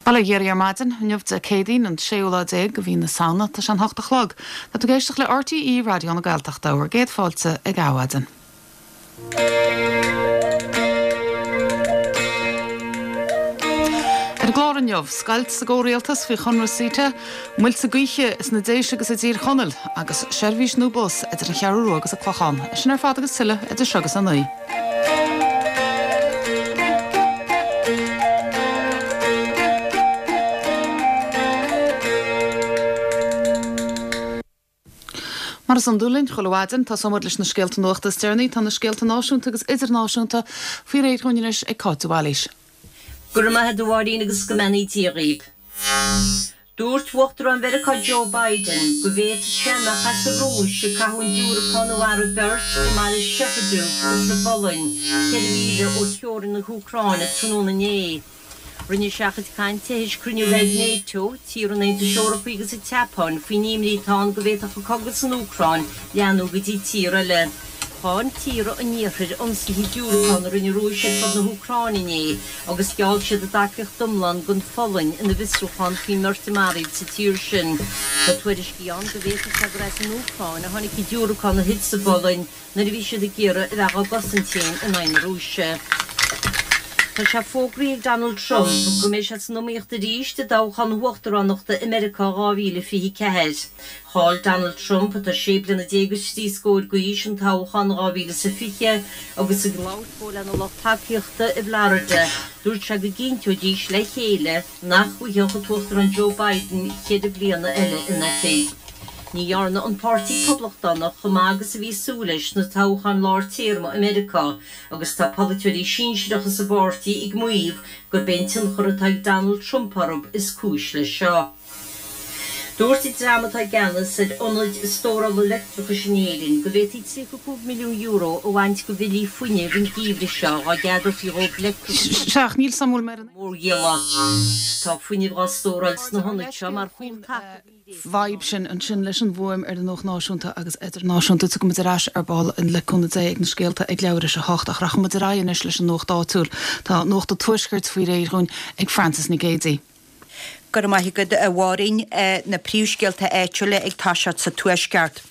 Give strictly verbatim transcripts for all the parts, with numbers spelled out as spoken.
Bail ó Dhia oraibh ar maidin, inniu Dé Céadaoin an séú lá déag de mhí na Samhna, tá sé an hocht a chlog. Tá tú ag éisteacht le RTÉ Raidió na Gaeltachta bhur gcéad fáilte ag Adhmhaidin. Ar an gclár inniu, scoilt sa gcomhrialtas faoi chonradh CETA, muilte gaoithe sna Déise agus i dTír Chonaill, agus seirbhís nua bus idir an Cheathrú Rua agus an Clochán. Sin ar fad agus tuilleadh idir seo agus a naoi. Mar is iondúil linn chuile mhaidin, tosóidh muid leis na scéalta nuachta is deireanaí. Tá na scéalta náisiúnta agus idirnáisiúnta faoi réir dhúinn anois ag Cáit de Bhailís. Go raibh maith agat a Mháirín agus go mbeannaí Dia dhaoibh. Dúirt Uachtarán Mheiriceá Joe Biden go bhféadfadh sé mbeadh as an Rúis ag caitheamh an diúracán a mharaigh beirt i mbaile Przewodów sa bPolainn, ceithre mhíle ó theorainn na hÚcráine tráthnóna inné. Rinne sé a chuid cainte théis cruinniú a bheith ag Nato, tíortha an Aontais Eorpaigh agus an tSeapáin faoin imní atá ann go bhféadfadh an cogadh san Úcráin leathnú go dtí tír eile. Cháin tíortha an Iarthair ionsaithe diúracán a rinne an Rúis ar fud na hÚcráine inné agus gheall siad a dtacaíocht iomlán don Pholainn ina bhfiosrúchán faoin mbeirt a maraíodh sa tír sin. Tá tuairiscí ann go bhféadfadh sé gur as an Úcráin a tháinig an diúracán a thit sa bPolainn nuair a bhí siad ag iarraidh a bheith dhá gcosaint féin in aghaidh na Rúise. Tá sé fógraithe ag Donald Trump go mbeidh sé san iomaíocht arís i dtoghchán na huachtaránachta i Meiriceá dhá mhíle fiche ceathair. Chaill Donald Trump, atá sé bliana déag is trí scór d'aois, an toghchán dhá mhíle is a fiche agus ag labhairt dó lena lucht tacaíochta i bhFlorida, dúirt sé go gcinnteoidís le chéile nach bhfaigheadh an tUachtarán Joe Biden ceithre bliana eile in oifig. Ní dhearna an Páirtí Poblachtánach chomh maith agus a bhí súil leis sna toghcháin lár téarma i Meiriceá agus tá polaiteoirí sinsearacha sa bpáirtí ag maíomh gurb é an tionchar atá ag Donald Trump orthu is cúis leis seo. Dúirt an dream atá i gceannas ar ionaid stórála leictreachais in Éirinn go bhféadfaí tríocha cúig milliún euro a bhaint de bhillí fuinnimh an geimhreadh seo dá gceadófaí dhóibh leictreachas Sea, ach níl suim mé ar an. mhórdhíola. Tá fuinneamh á stóráil sna hionaid seo mar chúl taca. Vibe sin ansin leis an bhfuaim ar an nuacht náisiúnta agus idirnáisiúnta. Tiocfaidh muid ar ais ar ball le cúnamh Dé ag na scéalta ag leathuair tar éis a hocht ach rachaidh muid ar aghaidh anois leis an nuacht áitiúil. Tá nuacht an Tuaiscirt faoi réir dhúinn ag Frances Nic Géadaigh. Go raibh maith agat a Mháirín, na príomhscéalta áitiúla ag toiseacht sa Tuaisceart.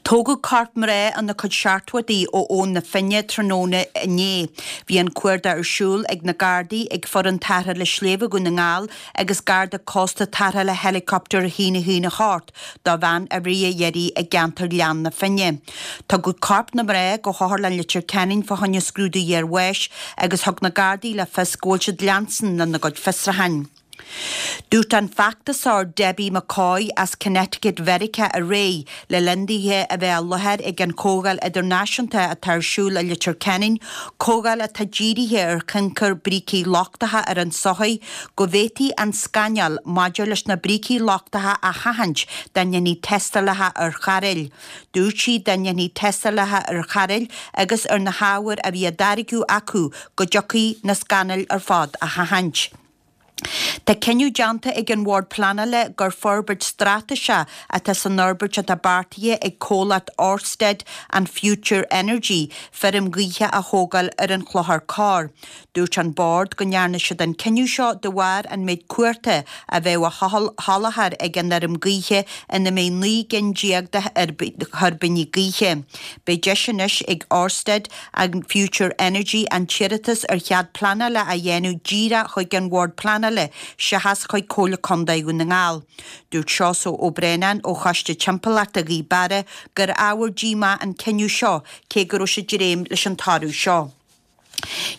Tógadh corp mná ina cuid seachtóidí ó Abhainn na Finne tráthnóna inné. Bhí an cuardach ar siúl ag na Gardaí, ag foireann tarrthála sléibhe Dhún na nGall agus Garda Cósta tarrthála helicopter a haon a haon a hocht do bhean a rith iarraidh i gceantar Ghleann na Finne. Tugadh corp na mná go hOtharlann Leitir Ceanainn fá choinne scrúdú iarbháis agus thug na Gardaí le fios go bhfuil siad leanstan lena gcuid fiosrúcháin. Dúirt an feachtasóir Debbie McCoy as Connecticut Mheiriceá aréir, le linn dithe a bheith i láthair ag an chomhdháil idirnáisiúnta atá ar siúl i Leitir Ceanainn, comhdháil atá dírithe ar thionchar brící lochtacha ar an tsochaí, go bhféadfaí an scannal maidir leis na brící lochtacha a sheachaint dá ndéanfaí tástálacha ar chairéil. Dúirt sí dá ndéanfaí tástálacha ar chairéil agus ar na hábhair a bhí á dtáirgeadh acu go dtiocfaí na scannail ar fad a sheachaint. Tá cinneadh déanta ag an Bhord Pleanála gur forbairt straitéiseach atá san fhorbairt atá beartaithe ag comhlacht Orsted and Future Energy feirm ghaoithe a thógáil ar an Chlochar Corr. Dúirt an Bord go ndearna siad an cinneadh seo de bharr an méid cumhachta a bheadh á sholáthar ag an fheirm gaoithe ina mbeidh naoi gcinn déag de thuirbíní gaoithe. Beidh deis anois ag Orsted and Future Energy an t-iarratas ar chead pleanála a dhéanamh díreach chuig an Bhord Pleanála seachas chuig Comhairle Contae Dhún na nGall. Dúirt Seosamh Ó Braonáin ó Choiste Timpeallachta Ghaoth Beara gur ábhar díomá an cinneadh seo cé go raibh siad ag dréim leis an toradh seo.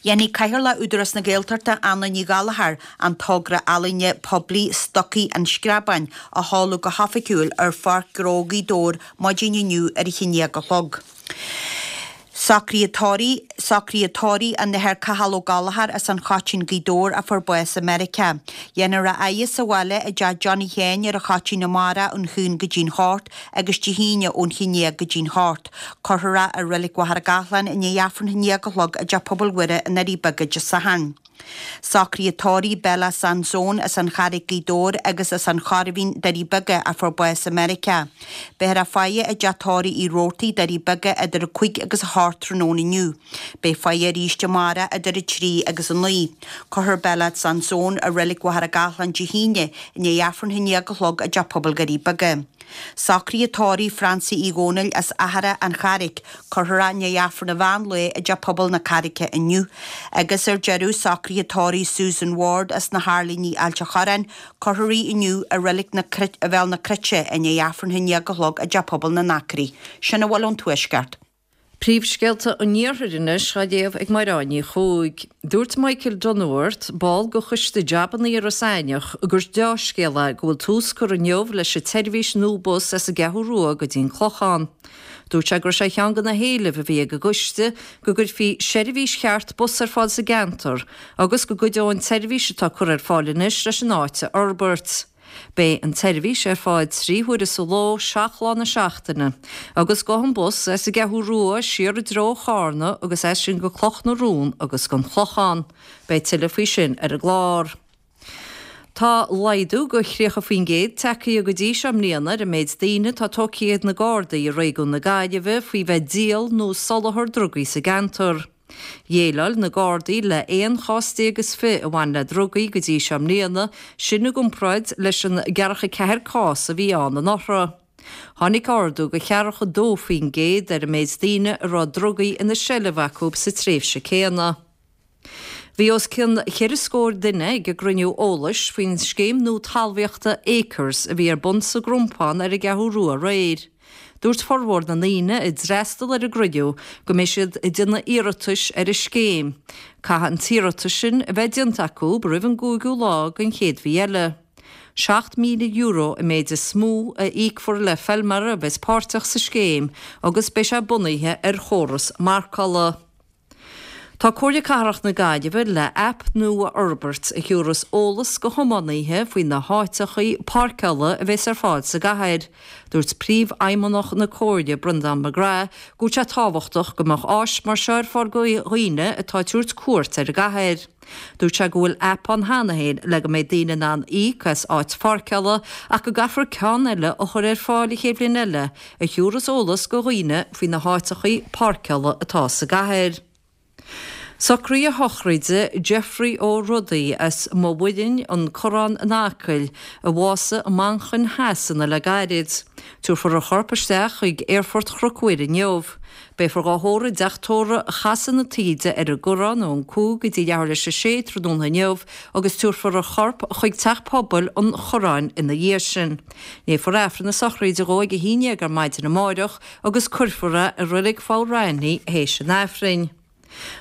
Dhéanfaidh Cathaoirleach Údarás na Gaeltachta, Anna Ní Ghallchóir, an togra ealaíne poiblí Stocaí an Screabáin a sheoladh go hoifigiúil ar Pháirc Ghnó Ghaoth Dobhair maidin inniu ar a haon déag a chlog. Socruithe tórraimh Socruithe tórraimh an Athar Cathal Ó Gallchóir as an Choitín Gaoth Dobhair a fuair bás i Meiriceá. Dhéanfar a fhaire sa bhaile i dteach Johnny Sheáin ar an Choitín amárach ón haon go dtí'n hocht agus Dé hAoine ón haon déag go dtí'n hocht. Cuirfear é i Reilig Mhachaire Gathlán i ndiaidh Aifreann a haon déag a chlog i dTeach Pobail Mhuire i nDoirí Beaga Dé Sathairn. Socruithe tórraimh Bella Sansone as an Charraig Gaoth Dobhair agus as an Choirbhín, Doirí Beaga, a fuair bás i Meiriceá. Beifear á faire i dteach tórraimh Uí Robhartaigh, Doirí Beaga, idir a cúig agus a hocht tráthnóna inniu. Beidh faire arís amárach idir a trí agus a naoi. Cuirfear Bella Sansone i Reilig Mhachaire Gathlán Dé hAoine i ndiaidh Aifreann a haon déag a chlog i dTeach Pobail Dhoirí Beaga. Socruithe tórraimh Francie Uí Dhónaill as Achadh an Charraig, cuirfear é i ndiaidh Aifreann an mheán lae i dTeach Pobail na Carraice inniu. Agus ar deireadh, socruithe tórraimh Susan Ward as na hAirlíní Ailt a' Chorráin, cuirfear í inniu i Reilig na Bhéal na Cruite i ndiaidh Aifreann a haon déag a chlog i dTeach Pobail na nAcraí. Sin a bhfuil ón Tuaisceart. Príomhscéalta an Iarthair anois á léamh ag Mairéad Ní Chuaig. Dúirt Michael Dunworth, ball de choiste jabanna i Ros Eidhneach, gur deá-scéal é go bhfuil tús curtha inniu leis an tseirbhís nua bus as an gCeathrú Rua go dtí an Clochán. Dúirt sé go raibh sé ar cheann de na héilimh a bhí ag an gcoiste go gcuirfí seirbhís cheart bus ar fáil sa gceantar agus go gcuideodh an tseirbhís atá curtha ar fáil anois leis an áit a fhorbairt. Beidh an tseirbhís ar fáil trí huaire sa ló, seacht lá na seachtaine, agus gabhfaidh an bus as an gCeathrú Rua siar i dtreo Charna agus as sin go Cloch na Rón agus don Chlochán. Beidh tuilleadh faoi sin ar an gclár. Tá laghdú go thríocha faoin gcéad tagtha go dtí seo i mbliana ar an méid daoine atá tógtha ag na Gardaí i réigiún na Gaillimhe faoi bheith ag díol nó soláthar drugaí sa gceantar. Dhéileáil na Gardaí le aon chás déag is fiche a bhain le drugaí go dtí seo i mbliana, sin i gcomparáid leis an gceathracha ceathair cás a bhí ann anuraidh. Tháinig ardú go ceathracha dó faoin gcéad ar an méid daoine a raibh drugaí ina seilbh acu sa tréimhse céanna. Bhí os cionn cheithre scór duine ag an gcruinniú eolais faoin scéim nua talmhaíochta Acres a bhí ar bun sa gCrompán ar an gCeathrú Rua aréir. Dúirt formhór na ndaoine a d'fhreastal ar an gcruinniú go mbeidh siad ag déanamh iarratais ar an scéim. Caithfidh an t-iarratas sin a bheith déanta acu roimh an gcúigiú lá den chéad mhí eile. Seacht míle euro an méid is mó a íocfar le feilméara a bheas páirteach sa scéim agus beidh sé bunaithe ar chóras marcála. Tá Comhairle Cathrach na Gaillimhe le aip nua a fhorbairt a thiúrfas eolas go thiománaithe faoi na háiteachaí páirceála a bheas ar fáil sa gcathair. Dúirt Príomhfheidhmeannach na Comhairle, Breandán McGrath, go bhfuil sé tábhachtach go mbeadh áis mar seo ar fáil go dhaoine atá ag tabhairt cuairt ar an gcathair. Dúirt sé go bhfuil aip ann cheana féin le go mbeidh daoine in ann íoc as áit pháirceála ach go gcaithfear ceann eile a chur ar fáil an chéad bhliain eile a thiúrfas eolas go dhaoine faoi na háiteachaí páirceála atá sa gcathair. Socruithe sochraide Geoffrey Ó Rodaí as Maigh Mhuirinn, An Corrán in Acaill, a bhásaigh i Manchain Shasana le gairid. Tabharfar a chorp isteach chuig Aerfort Chnoc Mhuire inniu. Beifear dhá thórramh i dteach tórraimh Chasadh na Taoide ar an gCorrán ón cúig go dtí leathuair théis a sé tráthnóna inniu agus tabharfar a chorp chuig Teach Pobail an Chorráin ina dhiaidh sin. Léifear Aifreann na sochraide dhó ag a haon déag ar maidin amáireach agus cuirfear é i Reilig Pholl Raithní théis an Aifrinn.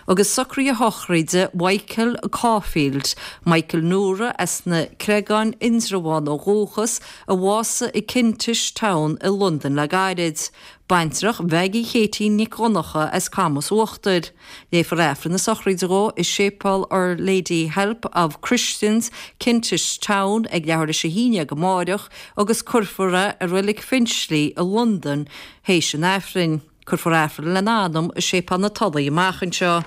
Agus socruithe sochraide Mhichael Caulfield, Michael Nora as na Creagáin Indreabhán ó dhúchas, a bhásaigh i Kentish Town i Londain le gairid. Baintreach Mhaggie Katie Nic Dhonncha as Camas Uachtair. Léifear Aifreann na sochraide dhó i Séipéal Our Lady Help of Christians, Kentish Town ag leathuair théis a haon déag amáireach agus cuirfear é i Reilig Finchley i Londain théis an Aifrinn. Cuirfear Aifreann lena anam i Séipéal na Tulaí amach anseo.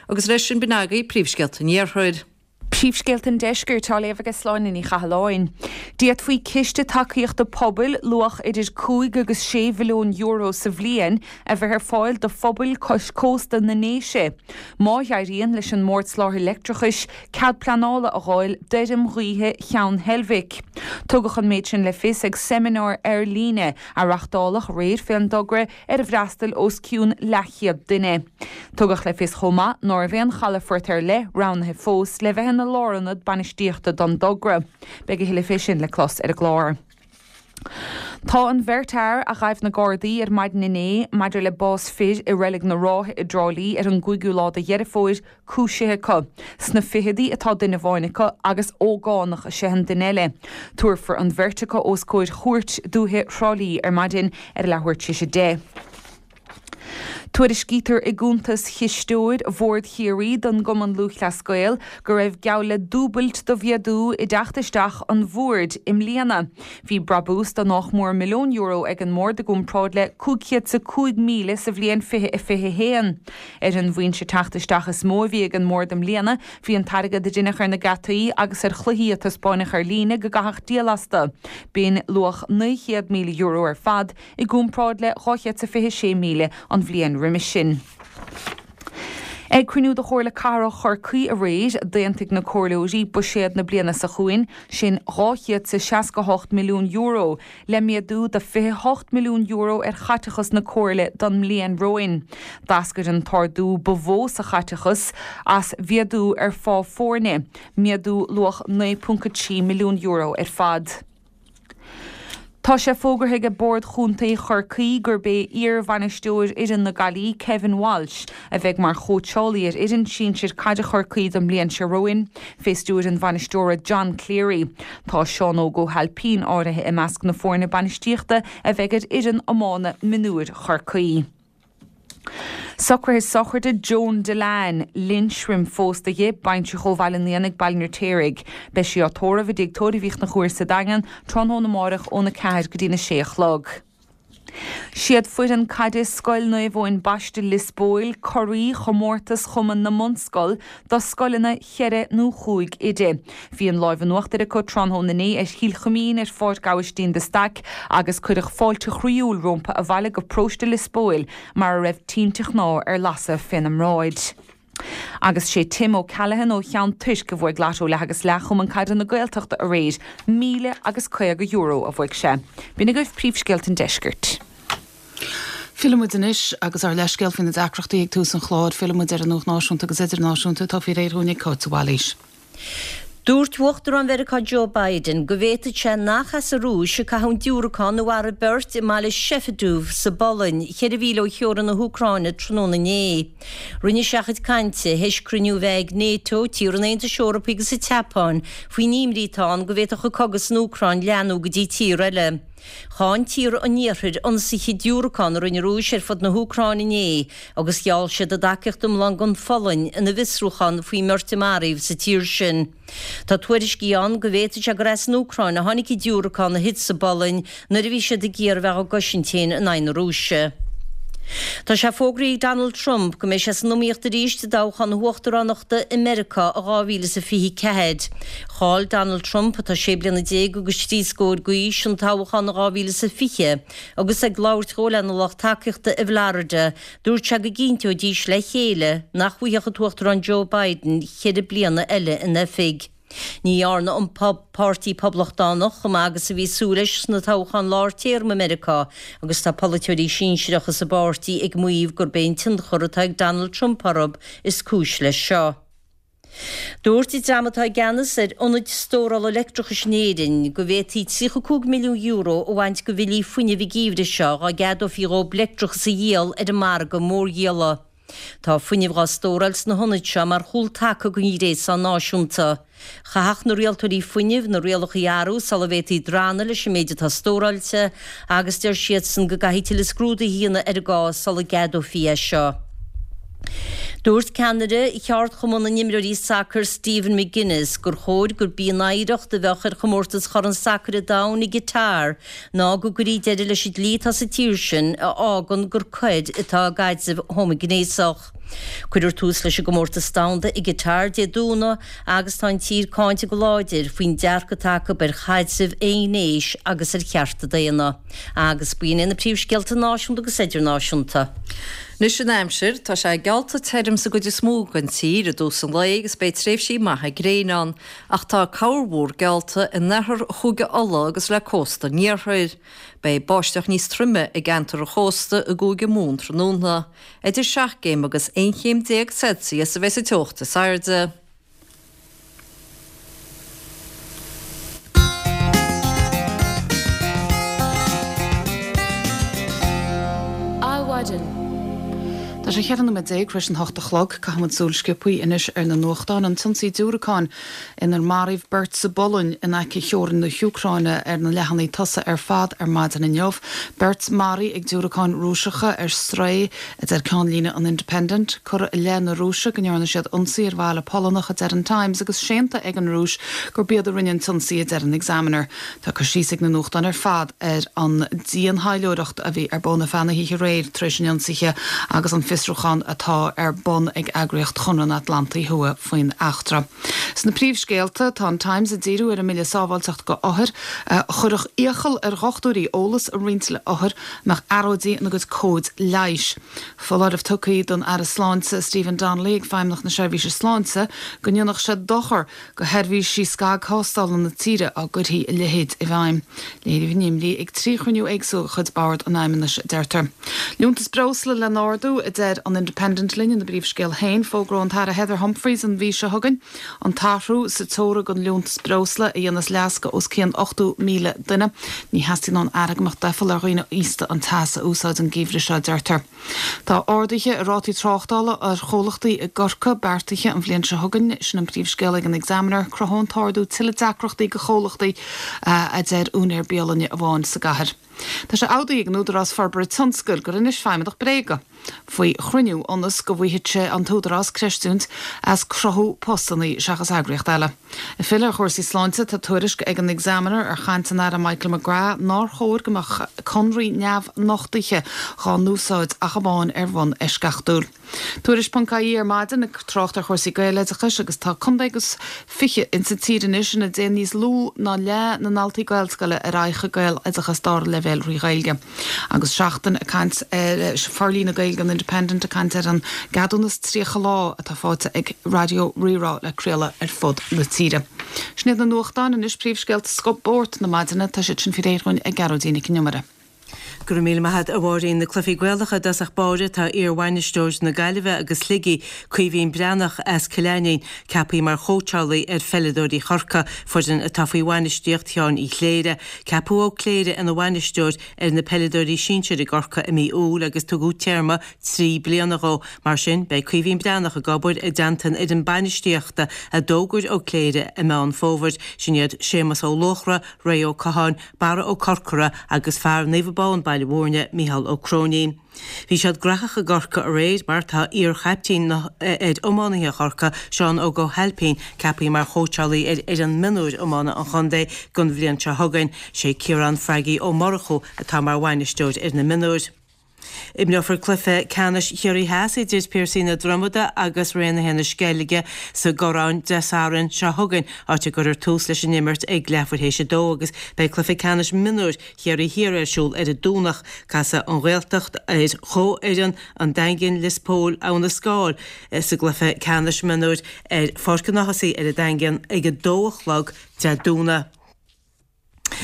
Agus leis sin b'in agaibh príomhscéalta an Iarthair. Príomhscéalta an Deiscirt á léamh ag Sláine Ní Chathalláin. D'fhéadfaí ciste tacaíochta pobail luach idir cúig agus sé mhilliún euro sa bhliain a bheith ar fáil do phobail cois cósta na nDéise. Má éiríonn leis an mBord Soláthair Leictreachais cead pleanála a fháil d'fheirm ghaoithe Cheann Heilbhic. Tugadh an méid sin le fios ag seimineár ar líne a reáchtáladh aréir fén dtogra ar a bhfreastail os cionn leathchéad duine. Tugadh le fios chomh maith ná raibh aon chalafort ar leith roghnaithe fós le bheith ina lárionad bainistíochta don dtogra. Beidh a thuilleadh fé sin le clos ar an gclár. Tá an bheirt fhear a ghaibh na Gardaí ar maidin inné maidir le bás fir i Reilig na Rátha i dTrá Lí ar an gcúigiú lá de Dheireadh Fómhair cúisithe acu. Sna ficheadaí atá duine amháin acu agus ógánach is ea an duine eile. Tabharfar an bheirt acu os comhair Chúirt Dúiche Thrá Lí ar maidin ar a leathuair tar éis a deich. Tuairiscítear i gcuntas chisteoir Bhord Chiarraí don gCumann Lúthchleas Gael go raibh geall le dúbailt de mhéadú i dteacht isteach an bhoird i mbliana. Bhí brabús de nach mór milliún euro ag an mbord i gcomparáid le cúig chéad is a cúig míle sa bhliain fiche a fiche haon. Ar an bhfoinse teacht isteach is mó a bhí ag an mbord i mbliana bhí an t-airgead a deineadh ar na geataí agus ar chluichí a taispeáineadh ar líne go gcaithfeadh díol astu. B'in luach naoi chéad míle euro ar fad i gcomparáid le dhá chéad is a fiche sé míle an bhliain roimis sin. Ag cruinniú de Chomhairle Cathrach Chorcaí aréir, d'aontaigh na comhairleoirí buiséad na bliana seo chugainn, sin dhá chéad is seasca hocht milliún euro, le méadú de fiche hocht milliún euro ar chaiteachas na comhairle don mbliain romhainn. D'eascair an t-ardú ba mhó sa chaiteachas as mhéadú ar phá foirne, méadú luach naoi ponc a trí milliún euro ar fad. Tá sé fógartha ag Bord Chontae Chorcaí gurb é iar-bhainisteoir fhoireann na Gaillimhe, Kevin Walsh, a bheidh mar chóitseálaí ar fhoireann sinsir caide Chorcaí don mbliain seo romhainn, fé stiúir an bhainisteora John Cleary. Tá Seán Óg Ó hAilpín áirithe i measc na foirne bainistíochta a bheidh ar fhoireann iomána mionúir Chorcaí. Socruithe sochraide Joan Dillane, Linsrim phósta dhi, baintreach ó Bhaile an Éanaigh, Baile an Fheirtéaraigh. Beidh sí á tórramh i dTigh Tórraimh Uí Chonchúir sa Daingean tráthnóna amárach óna ceathair go dtína sé a chlog. Siad foireann caide Scoil Naomh Eoin Baiste Lios Póil curaidh chomórtas Chumann na mBunscol do scoileanna cheithre nó chúig oide. Bhí an láimh in uachtar acu tráthnóna inné ar Chill Chuimín ar Pháirc Aibhistín de Staic agus cuireadh fáilte chroíúil rompu abhaile go paróiste Lios Póil mar a raibh tinte chnámh ar lasadh féna mbráid. Agus sé Tim O'Callaghan ó Cheann Toirc a bhuaigh Lotto leath agus leath Chumann Caide na Gaeltachta aréir, míle agus caoga euro a bhuaigh sé. B'in agaibh príomhscéalta an deiscirt. Fillfidh muid anois agus ár leithscéal faoi na deacrachtaí ag tús an chláir, fillfidh muid ar an nuacht náisiúnta agus idirnáisiúnta atá faoi réir dhúinn ag Cáit de Bhailís. Dúirt Uachtarán Mheiriceá Joe Biden go bhféadfadh sé nach as an Rúis a caitheadh an diúracán a mharaigh beirt i mbaile Shefedov sa bPolainn, ceithre mhíle ó theorainn na hÚcráine tráthnóna inné. Rinne sé a chuid cainte théis cruinniú a bheith ag NATO, tíortha an Aontais Eorpaigh agus an tSeapáin faoin imní atá ann go bhféadfadh an cogadh san Úcráin leathnú go dtí tír eile. Cháin tíortha an Iarthair ionsaithe diúracán a rinne an Rúis ar fud na hÚcráine inné agus gheall siad a dtacaíocht iomlán don Pholainn ina bhfiosrúchán faoin mbeirt a maraíodh sa tír sin. Tá tuairiscí ann go bhféadfadh sé gur as an Úcráin a tháinig an diúracán a thit sa bPolainn nuair a bhí siad ag iarraidh a bheith á gcosaint féin in aghaidh na Rúise. Tá sé fógraithe ag Donald Trump go mbeidh sé san iomaíocht arís i dtoghchán na huachtaránachta i Meiriceá i dhá mhíle is a fiche ceathair. Chaill Donald Trump, atá sé bliana déag agus trí scór d'aois, an toghchán i dhá mhíle is a fiche agus ag labhairt dhó lena lucht tacaíochta i bhFlorida, dúirt sé go gcinnteoidís le chéile nach bhfaigheadh an tUachtarán Joe Biden ceithre bliana eile in oifig. Ní dhearna an Páirtí Poblachtánach chomh maith agus a bhí súil leis sna toghcháin lár téarma i Meiriceá agus tá polaiteoirí sinsearacha sa bpáirtí ag maíomh gurb é an tionchar atá ag Donald Trump orthu is cúis leis seo. Dúirt an dream atá i gceannas ar ionaid stórála leictreachais in Éirinn go bhféadfaí tríocha cúig milliún euro a bhaint de bhillí fuinnimh an geimhreadh seo dá gceadófaí dhóibh leictreachas a dhíol ar an margadh mórdhíola. Tá fuinneamh dhá stóráil sna hionaid seo mar chúltaca don ghréasán náisiúnta. Chaithfeadh na rialtóirí fuinnimh na rialacha a athrú sula bhféadfaí drannadh leis an méid atá stóráilte agus deir siadsan go gcaithfidh tuilleadh scrúdaithe a dhéanamh ar an gcás sula gceadófaí é seo. Dúirt ceannaire Cheardchumann na nImreoirí Sacair Stephen McGuinness gur chóir gurb í an oidhreacht a bheadh ar chomórtas Chorn Sacair an Domhain i gCatar ná go gcuirfí deireadh leis an dlí atá sa tír sin a fhágann gur coir atá i gcaidreamh homaighnéasach. Cuirfear tús leis an gcomórtas domhanda i gCatar Dé Domhnaigh agus tá an tír cáinte go láidir faoin dearcadh atá acu ar chaidrimh aonghnéis agus ar chearta daonna. Agus b'in iad na príomhscéalta náisiúnta agus idirnáisiúnta. Anois an aimsir, tá sé geallta tirim sa gcuid is mó den tír i dtús an lae agus beidh tréimhsí maithe gréine ann, ach tá corrmhúr geallta in oirthear Chúige Uladh agus le cósta an iarthair. Beidh báisteach níos troime i gceantar an chósta i gCúige Mumhan tráthnóna. Idir seacht gcéim agus aon chéim déag Celsius a bheidh sa teocht is airde. Adhmhaidin. Tá sé cheithre nóiméad déag tar éis an hocht a chlog, caithfimid súil sciobtha anois ar na nuachtáin an t-ionsaí diúracáin inar maraíodh beirt sa bPolainn in aice theorainn na hÚcráine ar na leathanaigh tosaigh ar fad ar maidin inniu. Beirt maraithe ag diúracáin Rúiseacha ar strae a deir ceannlíne an Independent, curtha i leith na Rúise go ndearna siad ionsaí ar bhaile Polannach a deir an Times agus séanta ag an Rúis gurb iad a rinne an t-ionsaí a deir an Examiner. Tá cur síos ag na nuachtáin ar fad ar an diantaidhleoireacht a bhí ar bun ar feadh na hoíche aréir tar éis an ionsaithe agus an fiosrúchán atá ar bun ag eagraíocht Chonradh na hAtlantaí Thuaidh faoin eachtra. Sna príomhscéalta tá an Times ag díriú ar an mBille Sábháilteachta do Othair a chuirfeadh iachall ar dhochtúirí eolas a roinnt le othair nach earráidí ina gcuid comhad leighis. Foláireamh tugtha don Aire Sláinte Stephen Donnelly ag Feidhmeannacht na Seirbhíse Sláinte go ndéanfadh sé dochar do sheirbhísí scagthástála na tíre dá gcuirfí a leithéid i bhfeidhm. Léiríodh a n-imní ag trí chruinniú éagsúil de chuid Bhord an Fheidhmeannais deirtear. Liúntas breosla le n-ardú a deir an Independent linn ina bpríomhscéal féin fógróidh an tAire Heather Humphreys an mhí seo chugainn an t-athrú sa teora don liúntas breosla a dhéanas leas do os cionn ochtó míle duine. Ní theastaíonn ón Aire go mbeadh doicheall ar dhaoine aosta an teas a úsáid an geimhreadh seo deirtear. Tá arduithe i rátaí tráchtála ar chomhlachtaí i gCorcaigh beartaithe an bhliain seo chugainn sin an príomhscéal ag an Examiner cruthóidh an t-ardú tuilleadh deacrachtaí do chomhlachtaí a deir úinéir bialainne amháin sa gcathair. Tá sé admhaithe ag an Údarás Forbartha Tionscail gur inis feidhmeannach bréaga faoi chruinniú ionas go bhfaigheadh sé an t-údarás creidiúint as cruthú postanna seachas eagraíocht eile. Ag filleadh ar chúrsaí sláinte tá tuairisc ag an Examiner ar chaint an Aire Michael McGrath nár chóir go mbeadh conraí neamhnochtaithe á n-úsáid ach amháin ar bhonn eisceachtúil. Tuairisc.ie ar maidin ag trácht ar chúrsaí Gaeloideachais agus tá contae agus fiche insa tír anois ina dtéann níos lú ná leath na ndaltaí Gaelscoile ar aghaidh chuig Gaeloideachas dara leibhéal trí Ghaeilge. Agus seachtain ag caint ar forlíne Gaeilge an Independent ag caint ar an gceadúnas tríocha lá atá faighte ag Raidió Rí-Rá le craoladh ar fud na tíre. Sin iad na nuachtáin anois príomhscéalta spóirt na maidine tá siad sin faoi réir ag Gearóidín Nic an Iomaire. Go raibh míle maith agat a Mháirín na cluichí Gaelacha i dtosach báire tá iarbhainisteoir na Gaillimhe agus Shligigh, Caoimhín Breathnach as Cill Ainnín, ceaptha mar chóitseálaí ar pheileadóirí Chorcaí, foireann atá faoi bhainistíocht Sheáin Uí Chléire. Ceapadh Ó Cléire ina bhainisteoir ar na peileadóirí sinsir i gCorcaigh i mí Iúil agus tugadh téarma trí bliana dhó. Mar sin, beidh Caoimhín Breathnach ag obair i dteannta an fhoireann bainistíochta a d'fhógair Ó Cléire i Meán Fómhair. Sin iad Séamus Ó Luachra, Ray Ó Catháin, Barra Ó Corcora agus fear Naomh Abán Baile Mhúirne, Mícheál Ó Cróinín. Bhí siad gnóthach i gCorcaigh aréir mar tá iarchaiptín ar iománaithe Chorcaí, Seán Óg Ó hAilpín, ceaptha mar chóitseálaí ar fhoireann mionúir iomána an chontae don bhliain seo chugainn. Sé Ciarán Fraggy Ó Murchú atá mar bhainisteoir ar na mionúir. Imreofar cluiche ceannais Chiarraí Theas idir Piarsaigh na Dromoda agus Raonaithe na Sceilge sa gCorrán Dé Sathairn seo chugainn, áit a gcuirfear tús leis an imirt ag leathuair théis a dó agus beidh cluiche ceannais mionúir Chiarraí Thiar ar siúl ar an Domhnach. Casfaidh an Ghaeltacht ar chomhfhoireann an Daingin, Lios Póil, Abha na Scáil sa gcluiche ceannais mionúir ar Pháirc an Ághasaigh ar an Daingean ag a dó a chlog Dé Domhnaigh.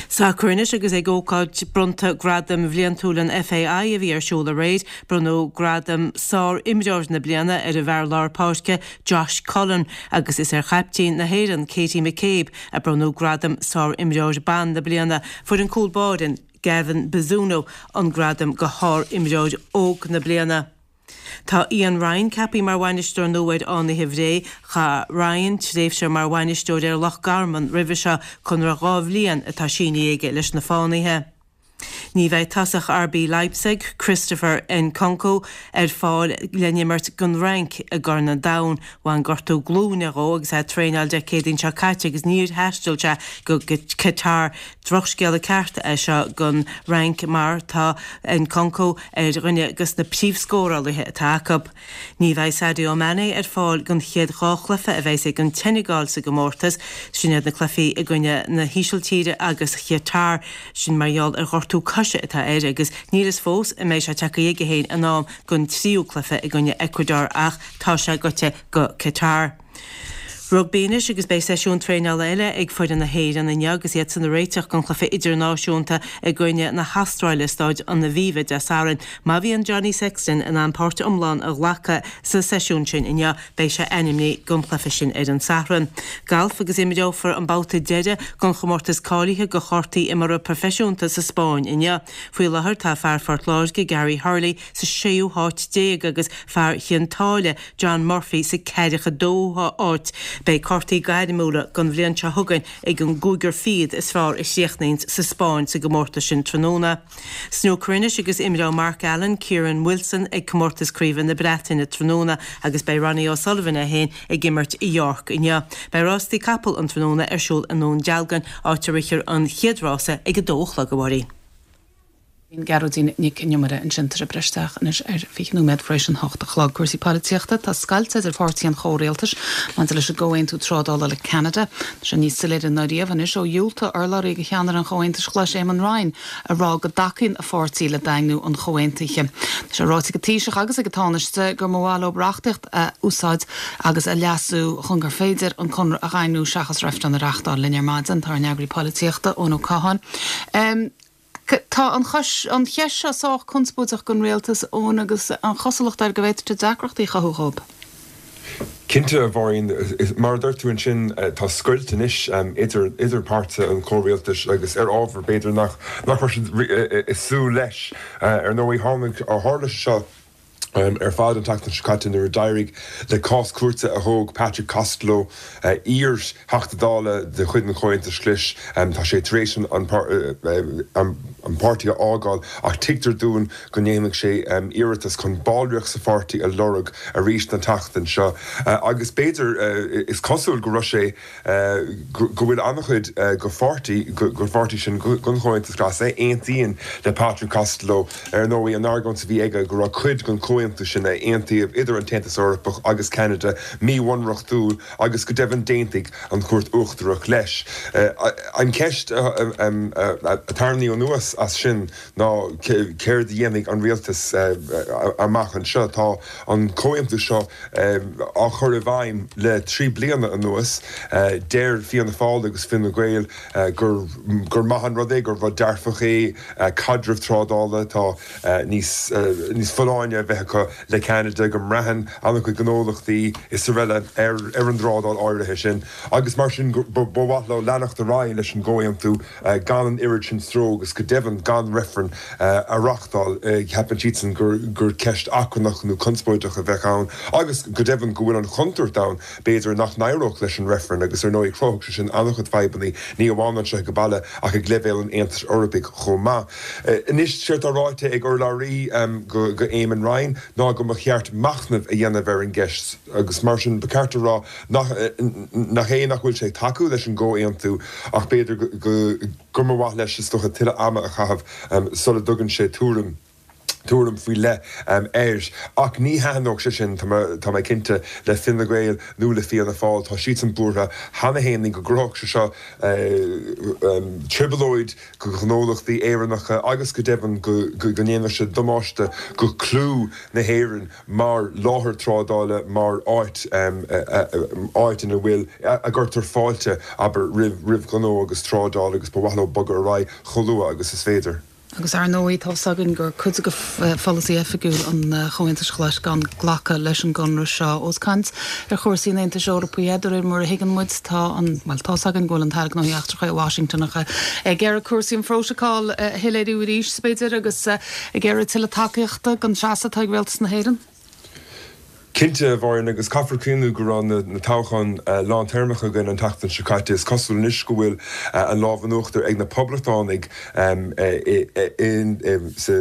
Sacar anois agus ag ócáid bronnta Gradam Bhliantúil an FAI a bhí ar siúl aréir, bronnadh gradam Sár-Imreoir na Bliana ar an bhfear lár páirce Josh Cullen agus is ar chaiptín na hÉireann Katie McCabe a bronnadh gradam Sár-Imreoir Ban na Bliana. Fuair an cúl báire Gavin Bazunu an gradam do Shár-Imreoir Óg na Bliana. Tá Ian Ryan ceaptha mar bhainisteoir nua ar Fhánaithe Bhré. Chaith Ryan tréimhse mar bhainisteoir ar Loch Garman roimhe seo, conradh dhá bhliain atá sínithe aige leis na Fánaithe. Ní bheidh tosach RB Leipzig, Christopher Nkunku, ar fáil le n-imirt don Fhrainc i gCorn an Domhain. Bhain gortú glúine dhó agus é ag traenáil Dé Céadaoin seo caite agus níor thaistil sé go Qatar. Drochscéala ceart é seo don Fhrainc mar tá Nkunku ar dhuine de na príomhscórálaithe atá acu. Ní bheidh Sadio Mané ar fáil don chéad dhá chluiche a bheas ag an tSeineagáil sa gcomórtas, sin iad na cluichí i gcoinne na hÍsiltíre agus Chatar. Sin mar gheall ar ghortú coise atá air agus níl fhios fós an mbeidh sé tagtha chuige féin in am don tríú cluiche i gcoinne Ecuador ach tá sé gaibhte go Qatar. Rugbaí anois agus beidh seisiún traenála eile ag foireann na hÉireann inniu agus iad ag réiteach don chluiche idirnáisiúnta i gcoinne na hAstráile i Staid an Aviva Dé Sathairn. Má bhíonn Johnny Sexton in ann páirt iomlán a ghlacadh sa seisiún sin inniu, beidh sé ainmnithe don chluiche sin ar an Satharn. Galf agus imreofar an babhta deiridh den chomórtas cáilithe do chártaí imeartha proifisiúnta sa Spáinn inniu. Faoi láthair tá fear Phort Láirge Gary Hurley sa séú háit déag agus fear Chionn tSáile John Murphy sa ceathracha dóú háit. Beidh cártaí gairmiúla don bhliain seo chugainn ag an gcúigear fichead is fearr a chríochnaíonns sa Spáinn sa gcomórtas sin tráthnóna. Snúcar anois agus imreoidh Mark Allen, Kyren Wilson ag comórtas craoibhe na Breataine tráthnóna agus beidh Ronnie O'Sullivan é féin ag imirt i York inniu. Beidh rástaí capall an tráthnóna ar siúl i nDún Dealgan, áit a rithfear an chéad rása ag a dó a chlog, a Mháirín. Gearóidín Nic an Iomaire ansin tar éis breith isteach anois ar fiche nóiméad tar éis an hocht a chlog. Cúrsaí polaitíochta, Tá scoilt idir pháirtí an chomhrialtais maidir leis an gcomhaontú trádála le Ceanada. Tá sé níos soiléire ná riamh anois ó dhiúltaigh urlabhraí do cheannaire an Chomhaontais Ghlais Éamon Ryan a rá go dtacaíonn a pháirtí le daingniú an chomhaontaithe. Tá sé ráite ag an Taoiseach agus ag an Tánaiste gur mba mhaith leo reachtaíocht a úsáid agus a leasú chun gur féidir an conradh a dhaingniú seachas reifreann a reáchtáil. Linn ar maidin tá ár n-eagraí polaitíochta, Eoin Ó Catháin. Tá an an cheist seo sách conspóideach don rialtas, Eoin, agus an chosúlacht air go bhféadfadh sé deacrachtaí a chothú dhóibh. Cinnte, a Mháirín, mar a dúirt tú ansin, tá scoilt anois idir idir páirtithe an chomhrialtais agus ar ábhar b'fhéidir nach nach raibh siad ag súil leis. Ar ndóigh, tháinig tharla sé seo ar fad an tseachtain seo caite nuair a d'éirigh le cás cúirte a thóg Patrick Costello, iar-Theachta Dála de chuid an Chomhaontais Ghlais. Tá sé tar éis an páirtí a fhágáil ach tuigtear dúinn go ndéanfaidh sé iarratas chun ballraíocht sa pháirtí a lorg arís an tseachtain seo agus b'fhéidir, is cosúil go raibh sé go bhfuil an-chuid de pháirtí den pháirtí sin den Chomhaontas Glas a aontaíonn le Patrick Costello. Ar ndóigh, an argóint a bhí aige go raibh cuid den chomhaontú sin a aontaíodh idir an tAontas Eorpach agus Ceanada míbhunreachtúil agus go deimhin d'aontaigh an Chúirt Uachtarach leis. An cheist a tarraingíodh anuas as sin ná céard a dhéanfaidh an rialtas amach anseo. Tá an comhaontú seo á chur i bhfeidhm le trí bliana anuas. Deir Fianna Fáil agus Fine Gael gur gur maith an rud é, gur rud dearfach é caidreamh trádála atá níos níos folláine a bheith acu le Ceanada, go mbraitheann an-chuid gnólachtaí is araile ar ar an dtrádáil áirithe sin agus mar sin ba mhaith leo leanacht ar aghaidh leis an gcomhaontú gan an oiread sin stró agus go deimhin gan reifreann a reáchtáil. Ceapann siadsan gur gur ceist achrannach nó conspóideach a bheadh ann agus go deimhin go bhfuil an chontúirt ann b'fhéidir nach n-éireodh leis an reifreann agus ar ndóigh chruthódh sé sin an-chuid fadhbanna ní amháin anseo ag baile ach ag leibhéal an Aontais Eorpaigh chomh maith. Anois séard atá ráite ag urlabhraí go go Éamon Ryan ná go mba cheart machnamh a dhéanamh ar an gceist agus mar sin ba cheart a rá nach nach é nach bhfuil sé ag tacú leis an gcomhaontú ach b'fhéidir go go mba mhaith leis is dócha tuilleadh ama a chaitheamh sula dtugann sé tuairim tuairim faoi leith air. Ach ní thaitneodh sé sin, tá mé cinnte, le Fine Gael nó le Fianna Fáil. Tá siadsan buartha cheana féin go gcruthódh sé seo trioblóid do ghnólachtaí Éireannacha agus go deimhin go ndéanfadh sé damáiste go clú na hÉireann mar láthair trádála, mar áit áit ina bhfuil a gcuirtear fáilte, abair, roimh ghnó agus trádáil agus ba mhaith leo bogadh ar aghaidh chomh luath agus is féidir. Agus ar ndóigh, tá fhios againn gur cuid de pholasaí oifigiúil an Chomhaontais Ghlais gan glacadh leis an gconradh seo. Ós caint ar chúrsaí an Aontais Eorpaigh de réir mar a thuigeann muid, tá an, bhuel, tá fhios againn go bhfuil an tAire Gnóthaí Eachtracha i Washington ach ag iarraidh cúrsaí an phrótacail a shoiléiriú arís, b'fhéidir, agus ag iarraidh tuilleadh tacaíochta don seasamh atá ag Rialtas na hÉireann. Cinnte, a Mháirín, agus caithfear cuimhniú go raibh na toghcháin lántéarmacha againn an tseachtain seo caite. Is cosúil anois go bhfuil an lámh in uachtar ag na Poblachtánaigh sa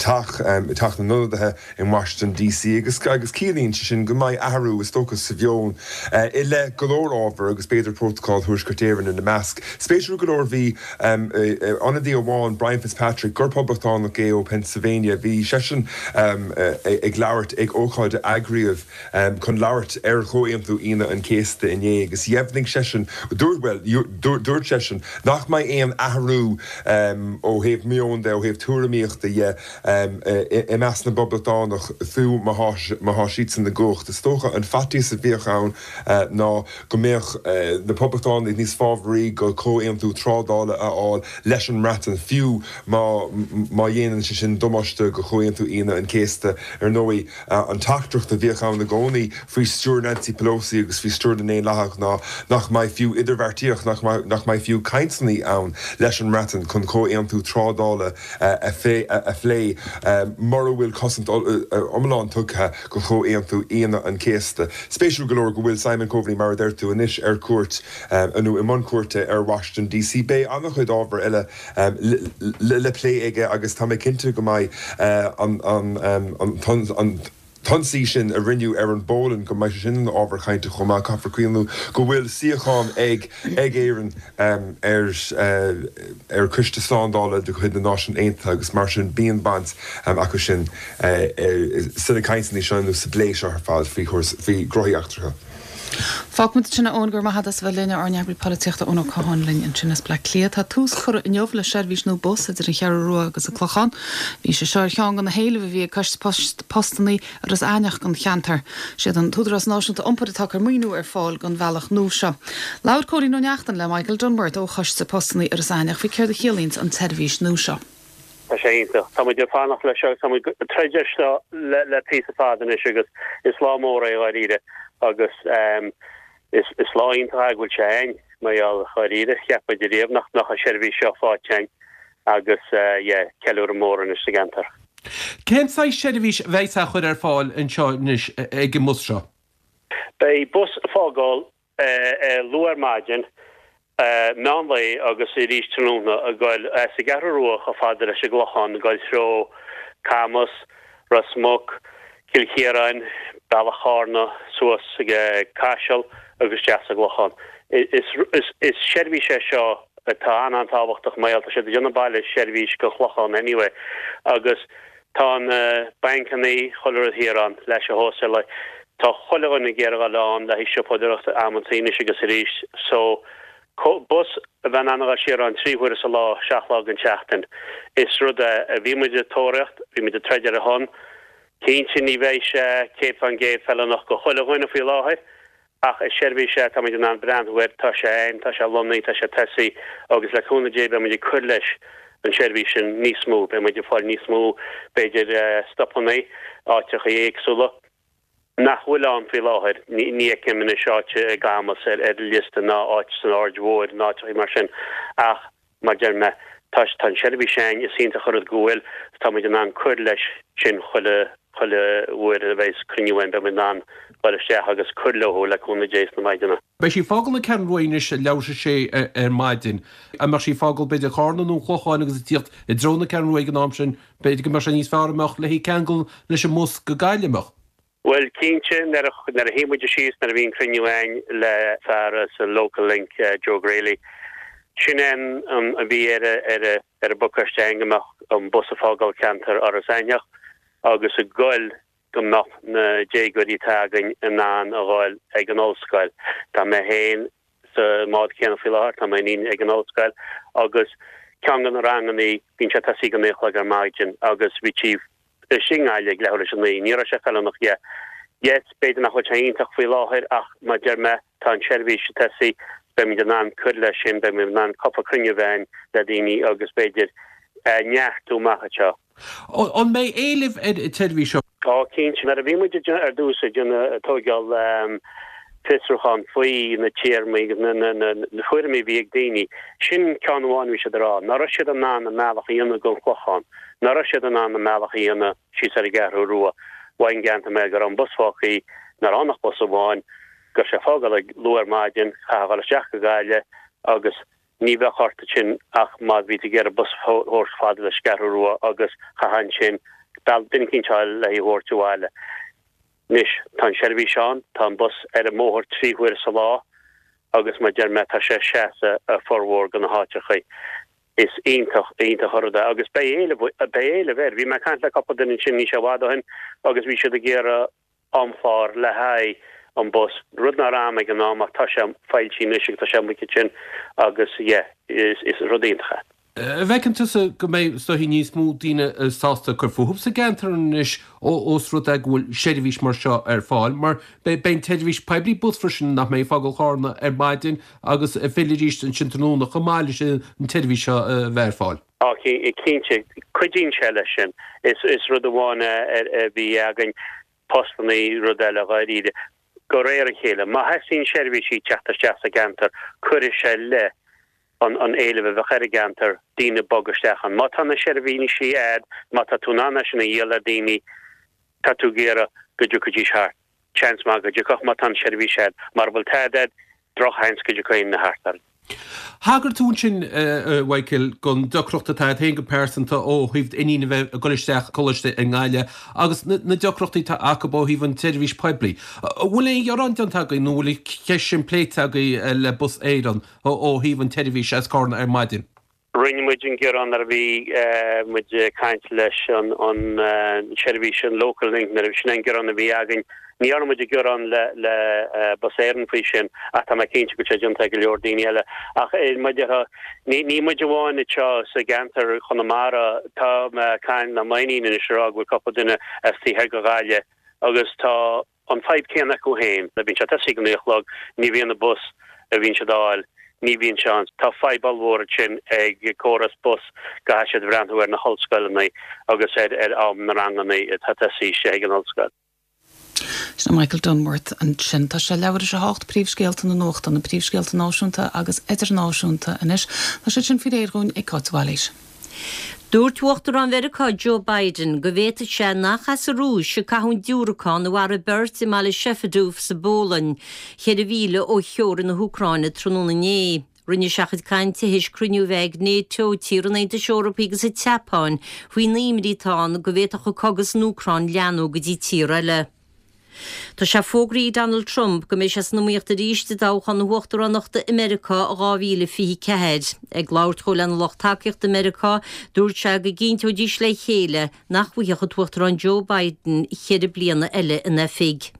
Teach, i Teach na nIonadaithe in Washington DC agus agus ciallaíonn sé sin go mbeidh athrú, is dócha, sa mheon i leith go leor ábhar agus b'fhéidir Prótacal Thuaisceart Éireann ina measc. Spéisiúil go leor bhí ionadaí amháin, Brian Fitzpatrick, gur Poblachtánach é ó Pennsylvania, bhí seisean ag labhairt ag ócáid a eagraíodh riamh chun labhairt ar Chomhaontú Aoine an Chéasta inné agus dheimhnigh seisean, dúirt, bhuel, dúirt seisean nach mbeidh aon athrú ó thaobh meoin de, ó thaobh tuairimíochta dhe i measc na bPoblachtánach fiú má tá siadsan i gcumhacht. Is dócha an faitíos a bhíodh ann ná go mbeadh na Poblachtánaigh níos fábhraí go comhaontú trádála a fháil leis an mBreatain fiú má má dhéanann sé sin damáiste go Chomhaontú Aoine an Chéasta. Ar ndóigh, an teachtaireacht a bhíodh ann i gcónaí faoi stiúir Nancy Pelosi agus faoi stiúir na nDaonlathach ná nach mbeidh fiú idirbheartaíocht, nach mbeidh nach mbeidh fiú cainteanna ann leis an mBreatain chun comhaontú trádála a phlé mura bhfuil cosaint iomlán tugtha go Chomhaontú Aoine an Chéasta. Spéisiúil go leor go bhfuil Simon Coveney, mar a deir tú, anois ar cuairt nó i mbun cuairte ar Washington DC. Beidh an-chuid ábhar eile le plé aige agus tá mé cinnte go mbeidh an an t-ionsaí sin a rinneadh ar an bPolainn, go mbeidh sé sin ina ábhar cainte chomh maith. Caithfear cuimhniú go bhfuil suíochán ag ag Éirinn ar ar Choiste Slándála de chuid na Náisiún Aontaithe agus mar sin bíonn baint acu sin sna cainteanna seo nó sa bplé seo ar fad faoi faoi ghnóthaí eachtracha. Fágfaimid ansin é Eoin, go raibh maith agat as a bheith linn, ár n-eagraí polaitíochta Eoin Ó Catháin linn ansin as Bleá Cliath. Tá tús curtha inniu le seirbhís nua bus idir an Cheathrú Rua agus an Clochán. Bhí sé seo ar cheann de na héilimh a bhí ag Coiste Postanna Iorras Aithneach don cheantar. Siad an tÚdarás Náisiúnta Iompair atá ag cur maoiniú ar fáil don bhealach nua seo. Labhair Cóilín Ó Neachtain le Michael Dunworth ó Choiste Postanna Iorras Aithneach faoi céard a chiallaíonns an tseirbhís nua seo. Tá sé iontach. Tá muid ag fanacht leis seo agus tá muid ag troid air seo le píosa fada anois agus is lá mór é dháiríre agus is is lá iontach é go bhfuil sé ann mar gheall dháiríre cheap muid ariamh nach mbeadh an seirbhís seo faighte againn agus yeah ceiliúradh mór anois sa gceantar. Cén saghas seirbhís a bheidh á chur ar fáil anseo anois ag an mbus seo? Beidh bus ag fágáil luath ar maidin, meán lae agus arís tráthnóna ag goil as an gCeathrú Rua chomh fada leis an gClochán, ag goil treo Camas, Ros Muc, Cill Chiaráin, Bealach Chárna, suas ag Caiseal agus isteach sa gClochán. Is seirbhís é seo atá an-an-tábhachtach mar gheall tá siad ag déanamh baile seirbhís go Clochán anyway agus tá na bancannaí, chuile rud thiar ann leis an hóstáil. Tá chuile dhuine ag iarraidh a dhul ann le haghaidh siopadóireacht amantaí anois agus arís so bus a bheith in ann a dhul siar ann trí huaire sa lá, seacht lá den tseachtain. Is rud é a bhí muid ag tóraíocht, bhí muid ag troid ar a shon. Cinnte ní bheidh sé céad fán gcéad feiliúnach go chuile dhuine faoi láthair ach is seirbhís é atá muid in ann breathnú air, tá sé ann, tá sé lonnaithe, tá sé tosaithe agus le cúnamh Dé beidh muid ag cur leis an seirbhís sin níos mó, beidh muid ag fáil níos mó b'fhéidir stopanna, áiteacha éagsúla. nach bhfuil ann faoi láthair. Ní fheicim anois áit i gCamas ar an liosta ná áit san Aird Mhóir ná áiteacha mar sin ach mar deir mé, tá tá an seirbhís ann, is iontach an rud go bhfuil is tá muid in ann cur leis sin chuile chuile uair a bheas cruinniú ann beidh muid in ann dul isteach agus cur leo le cúnamh Dé sna maidineanna. Beidh sí ag fágáil na Ceathrún Rua anois ag leathuair tar éis a sé ar maidin. An mbeadh sí ag fágáil b'fhéidir Carna nó an Chlocháin agus ag tíocht i dtreo na Ceathrún Rua ag an am sin, b'fhéidir go mbeadh sé níos fearr a mbeadh léi ceangal leis an mbus go Gaillimh, mbeadh? Bhuel, cinnte, nuair a nuair a shuigh muid síos, nuair a bhí an cruinniú againn le fear as an Local Link, Joe Greally, sin é an an a bhí ar a ar a ar an bpacáiste againn go mbeadh an bus ag fágáil ceantar Iorras Aithneach agus ag goil go mbeadh na déagóirí atá againn in ann a ghoil ag an ollscoil. Tá mé féin sa mbád céanna faoi láthair, tá m'iníon ag an ollscoil agus ceann de na rangannaí, bíonn sé tosaithe ag a naoi a chlog ar maidin agus bhí sí istigh i nGaillimh ag leathuair théis a naoi. Ní raibh sé feiliúnach yeah. Yes, b'fhéidir nach bhfuil sé iontach faoi láthair ach mar deir mé, tá an tseirbhís ag tosaí, beimid in ann cur leis sin, beimid in ann cúpla cruinniú a bheith againn le daoine agus b'fhéidir neartú amach anseo. An mbeidh éileamh ar an tseirbhís seo? Tá, cinnte. Nuair a bhí muid ar dtús ag déanamh, ag tóigeáil fiosrúchán faoi na téarmaí agus na tuairimí a bhí ag daoine, sin ceann amháin a bhí siad ag rá, nach raibh siad in ann a mbealach a dhéanamh go an Clochán, nach raibh siad in ann a mbealach a dhéanamh síos ar an gCeathrú Rua. Mhaígh an gceantar mé go raibh an bus fágtha, nach raibh ann ach bus amháin, go raibh sé ag fágáil ag luath ar maidin, chaithfeá a dhul isteach go Gaillimh agus ní bheadh ort ansin ach má bhí tú ag iarraidh bus a thabhairt fada leis an gCeathrú Rua agus chaithfeá ansin duine eicínt a fháil le hí a thabhairt abhaile. Anois, tá an seirbhís ann, tá an bus ar an mbóthar trí huaire sa lá agus mar deir mé, tá sé ag seasamh i formhór de na háiteachaí. Is iontach, iontach an rud é agus beidh éileamh, beidh éileamh air. Bhí mé ag caint le cúpla duine ansin ní sé i bhfad ó shin agus bhí siad ag iarraidh amchlár le haghaidh an bus, rud nach raibh ag an am ach tá sé foilsithe anois agus tá sé amuigh ansin agus yeah, is, is rud iontach é. An bhfeiceann tusa go mbeidh is dóichí níos mó daoine sásta cur fúthu sa gceantar anois ós rud é go bhfuil seirbhís mar seo ar fáil, mar beidh an tseirbhís poiblí bus freisin nach mbeidh ag fágáil Chárna ar maidin agus ag filleadh arís ansin tráthnóna chomh maith leis an tseirbhís seo a bheith ar fáil. Á cinnte, cuidíonn sé leis sin. Is is rud amháin a bhí againn postanna rud eile dháiríre. De réir a chéile, má thosaíonn seirbhísí teacht isteach sa gceantar, cuirfidh sé le an an éileamh a bheadh ar an gceantar, daoine bogadh isteach ann. Má tá na seirbhísí a'd, má tá tú in ann é sin a dhíol le daoine, tá tú ag iarraidh go dtiocfaidís thart. Seans maith go dtiocfadh má tá an seirbhís a'd. Mara bhfuil tada a'd, drochsheans go dtiocfaidh aon duine thart orainn. Thagair tú ansin, a Mhichael, don deacracht atá agat féin go pearsanta ó thaobh d'iníon a bheith ag dul isteach coláiste i nGaillimh agus na deacrachtaí atá acu ó thaobh an tseirbhís poiblí. An bhfuil aon ghearán déanta agaibh nó an bhfuil an cheist sin pléite agaibh le Bus Éireann ó thaobh an tseirbhís as Cárna ar maidin? Rinne muid an gearán nuair a bhí muid ag caint leis an seirbhís, an Local Link, nuair a sin an gearán a bhí againn. Ní dhearna muid gearán le le Bus Éireann faoi sin ach tá mé cinnte go bhfuil sé déanta ag go leor daoine eile. Ach mar a déarfá, ní ní muid amháin anseo sa gceantar Chonamara, tá mé ag caint le m'iníon anois ag rá go bhfuil cúpla duine as taobh thoir de Ghaillimh agus tá an fadhb céanna acu féin. Bíonn sé tosaithe ag a naoi a chlog, ní bhíonn an bus a bhíonn siad a fháil, ní bhíonn sé ann. Tá fadhb ollmhór ansin ag córas bus, caithfidh siad breathnú ar na hollscoileanna agus ar ar am na ranganna atá tosaithe ag an ollscoil. Sin Michael Dunworth ansin. Tá sé leathuair tar éis a hocht príomhscéalta na nuachta, na príomhscéalta náisiúnta agus idirnáisiúnta anois. Tá siad sin faoi réir dhúinn ag Cáit Bhailís. Dúirt Uachtarán Mheiriceá Joe Biden go bhféadfadh sé nach as an Rúis a caitheadh an diúracán a mharaigh beirt i mbaile Shepedów sa bPolainn, ceithre mhíle ó theorainn na hÚcráine tráthnóna inné. Rinne sé a chuid cainte théis cruinniú a bheith ag NATO, tíortha an Aontais Eorpaigh agus an tSeapáin faoin imní atá ann go bhféadfadh an cogadh san Úcráin leathnú go dtí tír eile. Tá sé fógraithe ag Donald Trump go mbeidh sé san iomaíocht arís i dtoghchán na huachtaránachta i Meiriceá i dhá mhíle fiche ceathair. Ag labhairt dhó lena lucht tacaíochta i Meiriceá, dúirt sé go gcinnteoidís le chéile nach bhfaigheadh an tUachtarán Joe Biden ceithre bliana eile in oifig.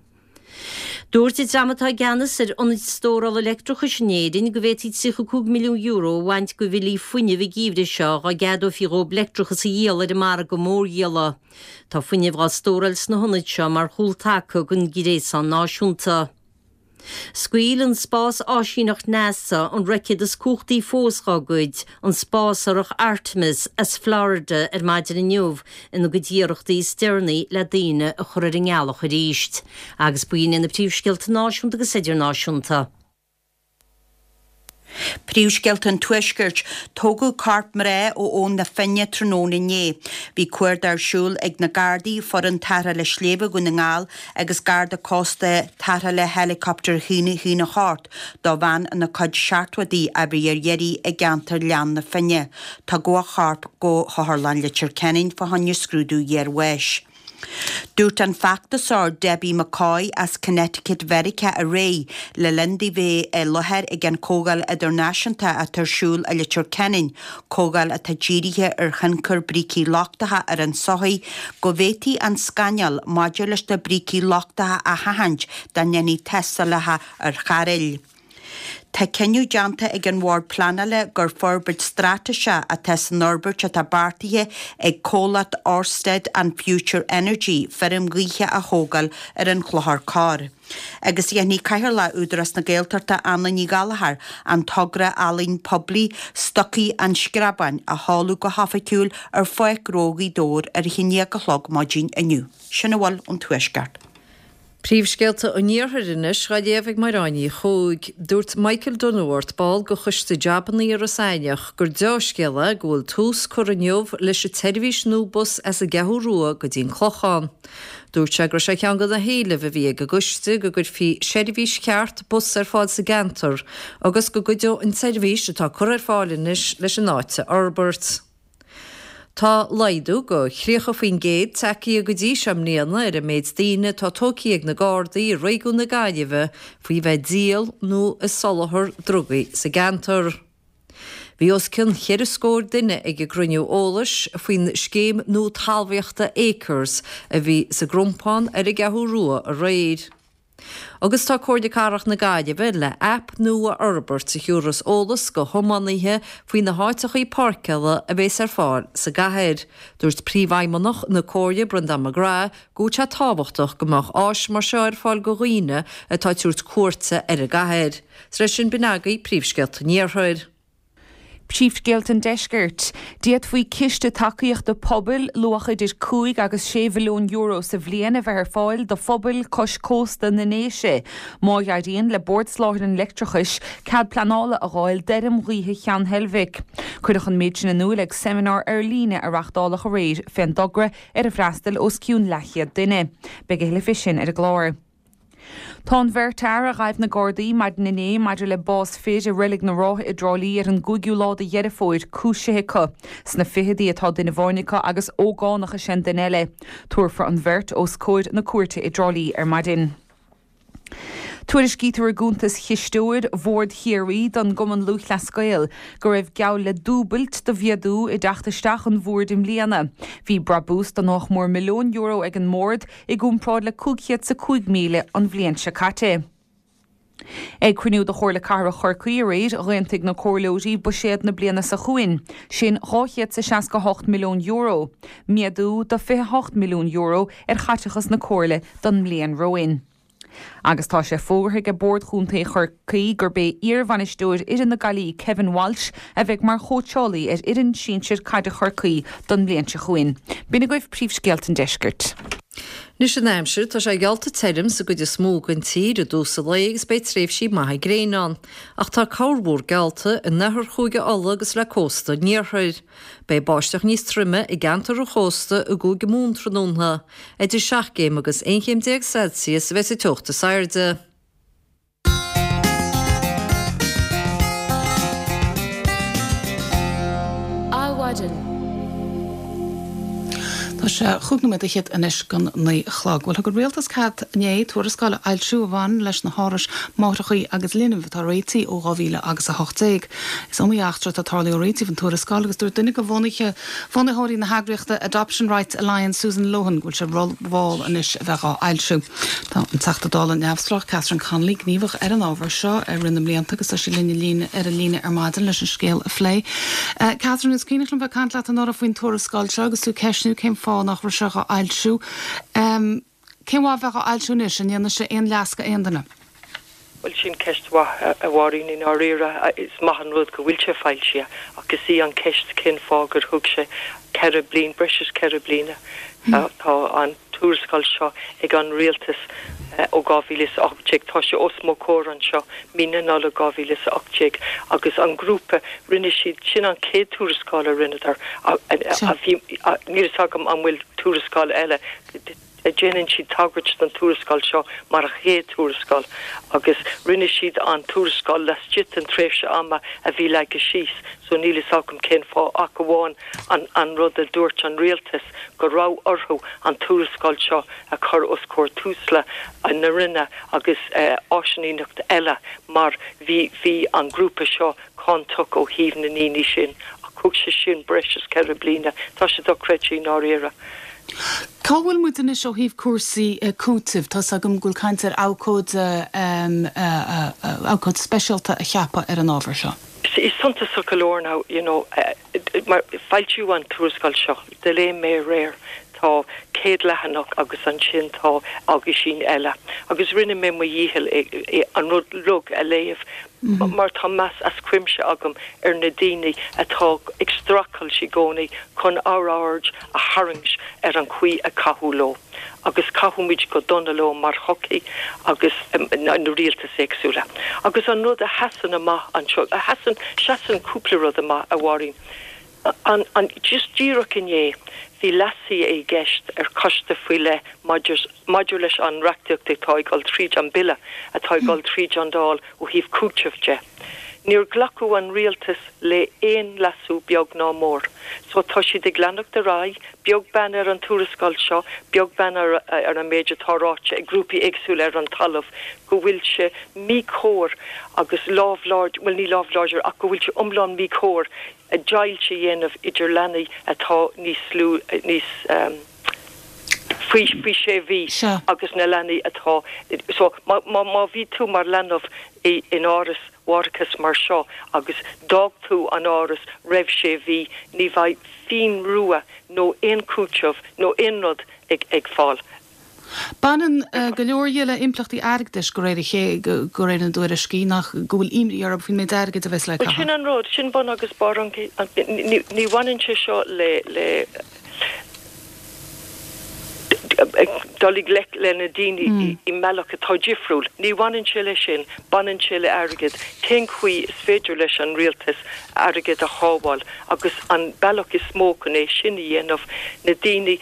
Dúirt an dream atá i gceannas ar ionaid stórála leictreachais in Éirinn go bhféadfaí tríocha cúig milliún euro a bhaint de bhillí fuinnimh an geimhreadh seo dá gceadófaí dhóibh leictreachas a dhíol ar an margadh mórdhíola. Tá fuinneamh á stóráil sna hionaid seo mar chúltaca don ghréasán náisiúnta. Scaoil an spás-áisíneacht NASA an roicéad is cumhachtaí fós dá gcuid, an spásárthach Artemis, as Florida ar maidin inniu ina gcuid iarrachtaí is deireanaí le daoine a chur ar an ngealach arís. Agus b'in iad na príomhscéalta náisiúnta agus idirnáisiúnta. Príomhscéalta an Tuaiscirt, Tógadh corp mná ó Abhainn na Finne tráthnóna inné. Bhí cuardach ar siúl ag na Gardaí, foireann tarrthála sléibhe Dhún na nGall agus Garda Cósta tarrthála Helicopter haon a hocht do bhean ina cuid seachtóidí a bhí ar iarraidh i gceantar Ghleann na Finne. Tugadh a chorp go hOtharlann Leitir Ceanainn fá choinne scrúdú iarbháis. Dúirt an feachtasóir Debbie McCoy as Connecticut Mheiriceá aréir, le linn di bheith i láthair ag an Chomhdháil Idirnáisiúnta atá ar siúl i Leitir Ceanainn, comhdháil atá dírithe ar thionchar brící lochtacha ar an tsochaí, go bhféadfaí an scannal maidir leis na brící lochtacha a sheachaint dá ndéanfaí tástálacha ar chairéil. Tá cinneadh déanta ag an Bhord Pleanála gur forbairt straitéiseach atá san fhorbairt atá beartaithe ag comhlacht Orsted and Future Energy feirm ghaoithe a thógáil ar an Chlochar Corr. Agus dhéanfaidh Cathaoirleach Údarás na Gaeltachta Anna Ní Ghallchóir an togra ealaín poiblí Stocaí an Screabáin a sheoladh go hoifigiúil ar Pháirc Ghnó Ghaoth Dobhair ar a haon déag a chlog maidin inniu. Sin a bhfuil ón Tuaisceart. Príomhscéalta an Iarthair anois á léamh ag Máireáin Ní Chuaig. Dúirt Michael Dunworth, ball de choiste jabannaí Iorras Aithneach, gur deá-scéal é go bhfuil tús curtha inniu leis an tseirbhís nua bus as an gCeathrú Rua go dtí an Clochán. Dúirt sé go raibh sé ar cheann de na héilimh a bhí ag an gcoiste go gcuirfí seirbhís cheart bus ar fáil sa gceantar agus go gcuideodh an tseirbhís atá curtha ar fáil anois leis an áit a fhorbairt. Tá laghdú de thríocha faoin gcéad tagtha go dtí seo i mbliana ar an méid daoine atá tógtha ag na Gardaí i réigiún na Gaillimhe faoi bheith ag díol nó ag soláthar drugaí sa gceantar. Bhí os cionn cheithre scór duine ag an gcruinniú eolais faoin scéim nua talmhaíochta Acres a bhí sa gCrompán ar an gCeathrú Rua aréir. Agus tá Comhairle Cathrach na Gaillimhe le aip nua a fhorbairt a thiúrfas eolas go thiománaithe faoi na háiteachaí páirceála a bheas ar fáil sa gcathair. Dúirt Príomhfheidhmeannach na Comhairle, Brendan McGrath, go bhfuil sé tábhachtach go mbeadh áis mar seo ar fáil go dhaoine atá ag tabhairt cuairte ar an gcathair. Is leis sin b'in agaibh príomhscéalta an Iarthair. Príomhscéalta an Deiscirt. D'fhéadfaí ciste tacaíochta pobail luach idir cúig agus sé mhilliún euro sa bhliain a bheith ar fáil do phobail cois cósta na nDéise, má éiríonn le Bord Soláthair an Leictreachais cead pleanála a fháil d'fheirm ghaoithe Cheann Heilbhic. Cuireadh an méid sin in iúl ag seimineár ar líne a reáchtáladh aréir fén dtogra ar ar fhreastail os cionn leathchéad duine. Beidh a thuilleadh fé sin ar an gclár. Tá an bheirt fhear a ghaibh na Gardaí maidin inné maidir le bás fir i Reilig na Rátha i dTrá Lí ar an gcúigiú lá de Dheireadh Fómhair cúisithe acu. Sna fichidí atá duine amháin acu agus ógánach is ea an duine eile. Tabharfar an bheirt os comhair na cúirte i dTrá Lí ar maidin. Tuairiscítear i gcuntas chisteoir Bhord Chiarraí don gCumann Lúthchleas Gael go raibh geall le dúbailt de mhéadú i dteacht isteach an bhoird i mbliana. Bhí brabús de nach mór milliún euro ag an mbord i gcomparáid le cúig chéad 's a cúig míle an bhliain seo caite. Ag cruinniú de Chomhairle Cathrach Chorcaí aréir, d'aontaigh na comhairleoirí buiséad na bliana seo chugainn, sin dhá chéad 's a seasca hocht milliún euro, méadú de fiche hocht milliún euro ar chaiteachas na comhairle don mbliain romhainn. Agus tá sé fógartha ag Bord Chontae Chorcaí gurb é iarbhainisteoir fhoireann na Gaillimhe Kevin Walsh a bheidh mar chóitseálaí ar fhoireann sinsir caide Chorcaí don mbliain seo chugainn. B'in agaibh príomhscéalta an deiscirt. Anois an aimsir, tá sé geallta tirim sa gcuid is mó den tír i dtús an lae agus beidh tréimhsí maithe gréine ann. Ach tá corrmhúr geallta in oirthear Chúige Uladh agus le cósta an iarthair. Beidh báisteach níos troime i gceantar an chósta i gCúige Mumhan tráthnóna. Idir seacht gcéim agus aon chéim déag Celsius a bheidh sa teocht is airde. Adhmhaidin. Tá sé chúig nóiméad fhichead anois don naoi a chlog. Bhuel, thug an Rialtas cead inné tuarascáil a fhoilsiú a bhaineann leis na hárais máithreacha agus linbh atá réitithe ó dhá mhíle agus a hocht déag. Is iomaí eachtra atá tarlaithe ó réitíodh an tuarascáil agus dúirt duine de bhunaithe bhunaitheoirí na heagraíochta Adoption Rights Alliance, Susan Lohan, go bhfuil sé rómhall anois a bheith á fhoilsiú. Tá an Teachta Dála neamhspleách Catherine Connolly gníomhach ar an ábhar seo i rith na mblianta agus tá sí linn ar an líne ar maidin leis an scéal a phlé. Catherine, is cuimhneach liom bheith ag caint leat anuraidh faoin tuarascáil seo agus tú ag ceistniú cén fáth nach raibh sé á fhoilsiú. Cén mhaith bheith á fhoilsiú anois, an ndéanfaidh sé aon leas go aon duine? Bhuel, sin ceist mhaith, a Mháirín, i ndáiríre. Is maith an rud go bhfuil sé foilsithe, ach is í an cheist cén fáth gur thug sé ceithre bliana, breis is ceithre bliana. Tá an tuarascáil seo ag an rialtas ó dhá mhíle is a hocht déag. Tá sé os mo chomhair anseo, mí na Nollag dhá mhíle is a hocht déag, agus an grúpa, rinne siad, sin an chéad tuarascáil a rinneadar, a bhí, níl fhios agam an bhfuil tuarascáil eile, déanann siad tagairt don tuarascáil seo mar a chéad tuarascáil agus rinne siad an tuarascáil laistigh den tréimhse ama a bhí leagtha síos so níl fhios agam cén fáth ach amháin an an rud a dúirt an rialtas go raibh orthu an tuarascáil seo a chur os comhair Tusla na Roinne agus áisíneacht eile mar bhí bhí an grúpa seo cáinteach ó thaobh na ndaoine sin ach thug sé sin breis is ceithre bliana. Tá sé dochreidte i ndáiríre. Cá bhfuil muid anois ó thaobh cúrsaí cúitimh? Tá's agam go bhfuil caint ar abhcóide abhcóide speisialta a cheapadh ar an ábhar seo. Is suntasach go leor now, you know, mar foilsíodh an tuarascáil seo, do léigh mé aréir, tá céad leathanach agus ansin tá aguisín eile agus rinne mé mo dhícheall an rud uilig a léamh mar tá meas as cuimse agam ar na daoine atá ag streachailt i gcónaí chun ár aird a tharraingt ar an chaoi a caitheadh leo. Agus caitheadh muid go dona leo mar shochaí agus na rialtais éagsúla. Agus an rud a sheasann amach anseo, a sheasann, seasann cúpla rud amach, a Mháirín. An, an, just díreach inné, bhí leasuithe i gceist ar choiste faoi leith maidir, maidir leis an reachtaíocht atá ag dul tríd, an Bille atá ag dul tríd an Dáil ó thaobh cúitimh de. Níor glacadh an rialtas le aon leasú beag ná mór. So tá siad ag leanacht ar aghaidh, beag beann ar an tuarascáil seo, beag beann ar ar an méid atá ráite ag grúpaí éagsúla ar an talamh, go bhfuil sé míchóir agus lámh láidir, bhuel ní lámh láidir ach go bhfuil sé iomlán míchóir deighilt a dhéanamh idir leanaí atá níos lú, níos faoi faoi sé mhí agus na leanaí atá, so má má má bhí tú mar leanbh i in áras mháithreachais mar seo agus d'fhág tú an áras roimh sé mhí, ní bheidh phingin rua nó aon chúiteamh nó aon rud ag ag fáil. Baineann go leor dhe le impleachtaí airgeadais de réir a chéile, de réir na dtuairiscí, nach go bhfuil imní orthu faoin méid airgid a bheas le Bhuel sin caitheamh. an rud, sin bun agus barr an, ní ní bhaineann sé seo le le dul i ngleic le na daoine i mbealach atá difriúil. Ní bhaineann sé leis sin, baineann sé le airgead. Cén chaoi is féidir leis an rialtas airgead a shábháil agus an bealach is mó chun é sin a dhéanamh, na daoine,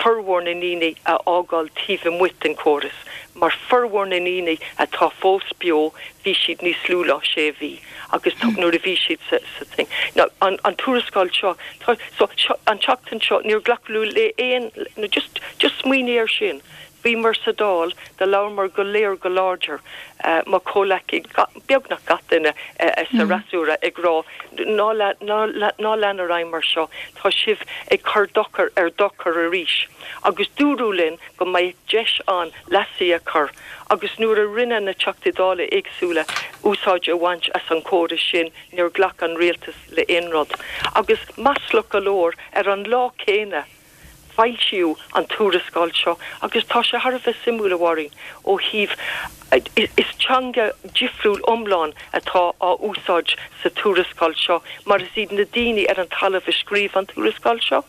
formhór na ndaoine a fhágáil taobh amuigh den chóras. Mar formhór na ndaoine atá fós beo, bhí siad níos lú ná sé mhí agus nuair a bhí siad sa sa thing. Now an an tuarascáil seo, tá, so seo, an tseachtain seo, níor glacadh le aon, no just, just smaoinigh air sin. Bhíomar sa Dáil, do labhramar go léir go láidir, mo chomhleacaí, beagnach gach duine sa fhreasúra ag rá ná ná ná lean ar aghaidh mar seo, tá sibh ag cur dochar ar dochar arís. Agus dúradh linn go mbeadh deis ann leasuithe a chur agus nuair a rinne na Teachtaí Dála éagsúla úsáid a bhaint as an chóras sin níor ghlac an rialtas le aon rud. Agus maslach go leor ar an lá céanna foilsíodh an tuarascáil seo agus tá sé thar a bheith suimiúil, a Mháirín, ó thaobh is teanga difriúil iomlán atá á úsáid sa tuarascáil seo mar is iad na daoine ar an talamh a scríobh an tuarascáil seo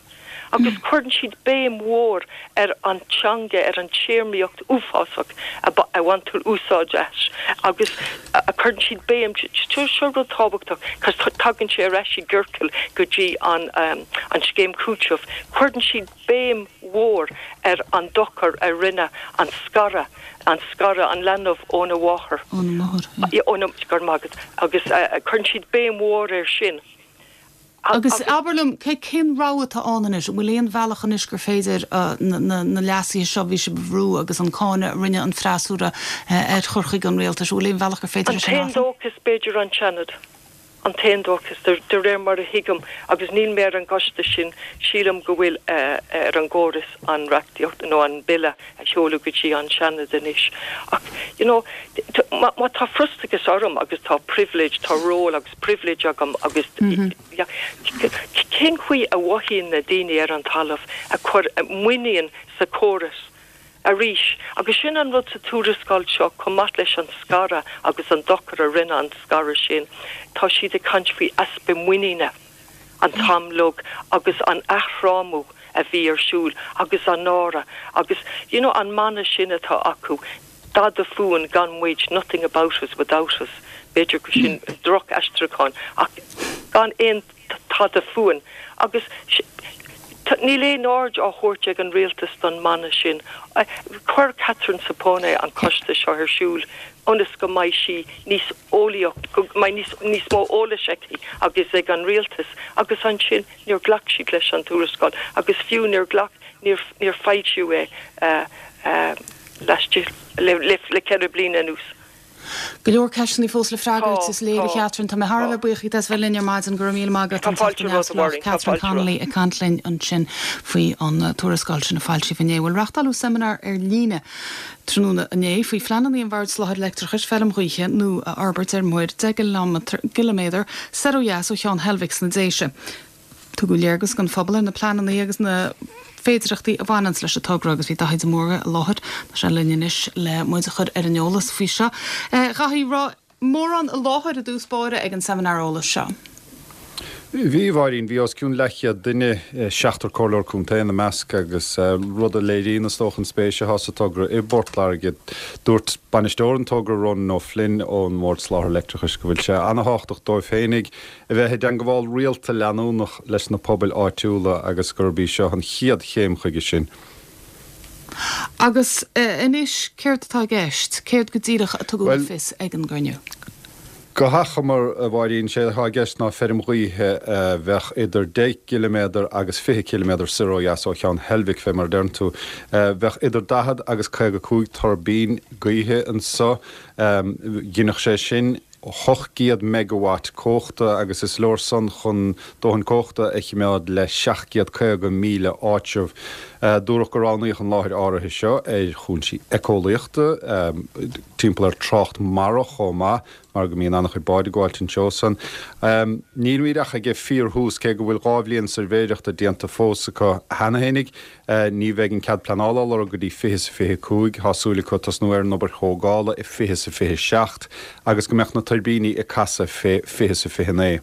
agus cuireann siad béim mhór ar an teanga, ar an téarmaíocht uafásach a bhaintear úsáid as agus cuireann siad béim, seo rud tábhachtach cos tagann sé ar ais i gciorcal go dtí an an scéim cúitimh, cuireann siad béim mhór ar an dochar a rinne an scaradh, an scaradh an leanbh óna mháthair. Óna máthair, yeah. Óna, go raibh maith agat, agus cuireann siad béim mhór air sin. Agus abair liom, cén rogha atá ann anois? An bhfuil aon bhealach anois gur féidir na leasuithe seo a bhí sibh a bhrú agus an cáineadh a rinne an freasúra ar chur chuige an rialtais, an bhfuil aon bhealach gur féidir An é sin a t-aon athrú? dóchas, b'fhéidir, an Seanad. An t-aon dóchas, de réir mar a thuigim, agus níl mé ar an gcoiste sin, sílim go bhfuil ar an gcóras an reachtaíocht nó an Bille a sheoladh go dtí an Seanad anois. Ach, you know, má tá frustrachas orm agus tá pribhléid, tá ról agus pribhléid agam agus cén chaoi a mhothaíonn na daoine ar an talamh a chuir muinín sa chóras? arís. Agus sin an rud sa tuarascáil seo, chomh maith leis an scaradh agus an dochar a rinne an scaradh sin, tá siad ag caint faoi easpa muiníne an t-am uilig agus an athfhrámú a bhí ar siúl agus an náire agus you know an mana sin atá acu, dada fúinn gan muid, nothing about us without us, b'fhéidir go sin droch-aistriúchán ach gan aon tada fúinn agus níl aon aird á thabhairt ag an rialtas don mana sin. Chuir Catherine Zappone an coiste seo ar siúl ionas go mbeidh sí níos eolaíoch, go mbeidh níos níos mó eolais aici agus ag an rialtas agus ansin níor ghlac siad leis an tuarascáil agus fiú níor ghlac, níor níor foilsíodh é laistigh le le le ceithre bliana anuas. Go leor ceisteanna fós le freagairt, Tá, is léir, a tá, Chatherine. Tá mé thar a tá. bheith buíoch díot as bheith linn ar maidin. Go raibh míle maith agat, Tá an fáilte Teachta romhat, a Neamhspleách Mháirín, tá Catherine fáilte Connolly romhat. ag caint linn ansin faoi an tuarascáil sin a foilsíodh inné. Bhuel, reáchtáladh seimineár ar líne tráthnóna inné faoi phleananna an Bhoird Soláthair Leictreachais feirm ghaoithe nua a fhorbairt ar muir deich gciliméadar soir ó dheas ó Cheann Heilbhic sna Déise. Tugadh léargas don phobal ar na pleananna agus na féidearthachtaí a bhaineanns leis an togra agus bhí Daithí de Mórdha i láthair. Tá sé linn anois le muid a chur ar an eolas faoi seo. A Dhaithí, raibh mórán i láthair i dtús báire ag an seimineár eolais seo. Bhí, a Mháirín, bhí os cionn leathchéad duine, seachtar comhairleoir contae ina measc agus rud a léiríonn is dócha an spéis atá sa togra i bPort Láirge. Dúirt bainisteoir an togra Ronan O'Flynn ón mBord Soláthair Leictreachais go bhfuil sé an-thábhachtach dóibh féinig a bheith i dteagmháil rialta leanúnach leis na pobail áitiúla agus gurb í seo an chéad chéim chuige sin. Agus anois céard atá i gceist? Céard go díreach a tugadh le Bhuel, fios ag an gcruinniú? Go hachomair, a Mháirín, sé atá i gceist ná feirm ghaoithe a bheadh idir deich gciliméadar agus fiche ciliméadar soir ó dheas ó Cheann Heilbhic, fé mar a deireann tú. Bheadh idir daichead agus caoga cúig tuirbín gaoithe anso. Ghinfeadh sé sin ocht gcéad megawatt cumhachta agus is leor san chun dóthain cumhachta a chimeád le seacht gcéad caoga míle áitreabh. Dúradh gur roghnaíodh an láthair áirithe seo ar chúinsí éiceolaíochta, timpeall ar trácht mara chomh maith, mar go mbíonn an-chuid báid ag gabháilt anseo san. Nílimid ach ag an fíorthús, cé go bhfuil dhá bhliain suirbhéireachta déanta fós acu cheana fhéinig. Ní bheidh an cead pleanála á lorg go dtí fiche is a fiche cúig. Tá súil acu tosnú ar an obair thógála i fiche is a fiche seacht agus go mbeadh na tuirbíní ag casadh fé fiche is a fiche naoi.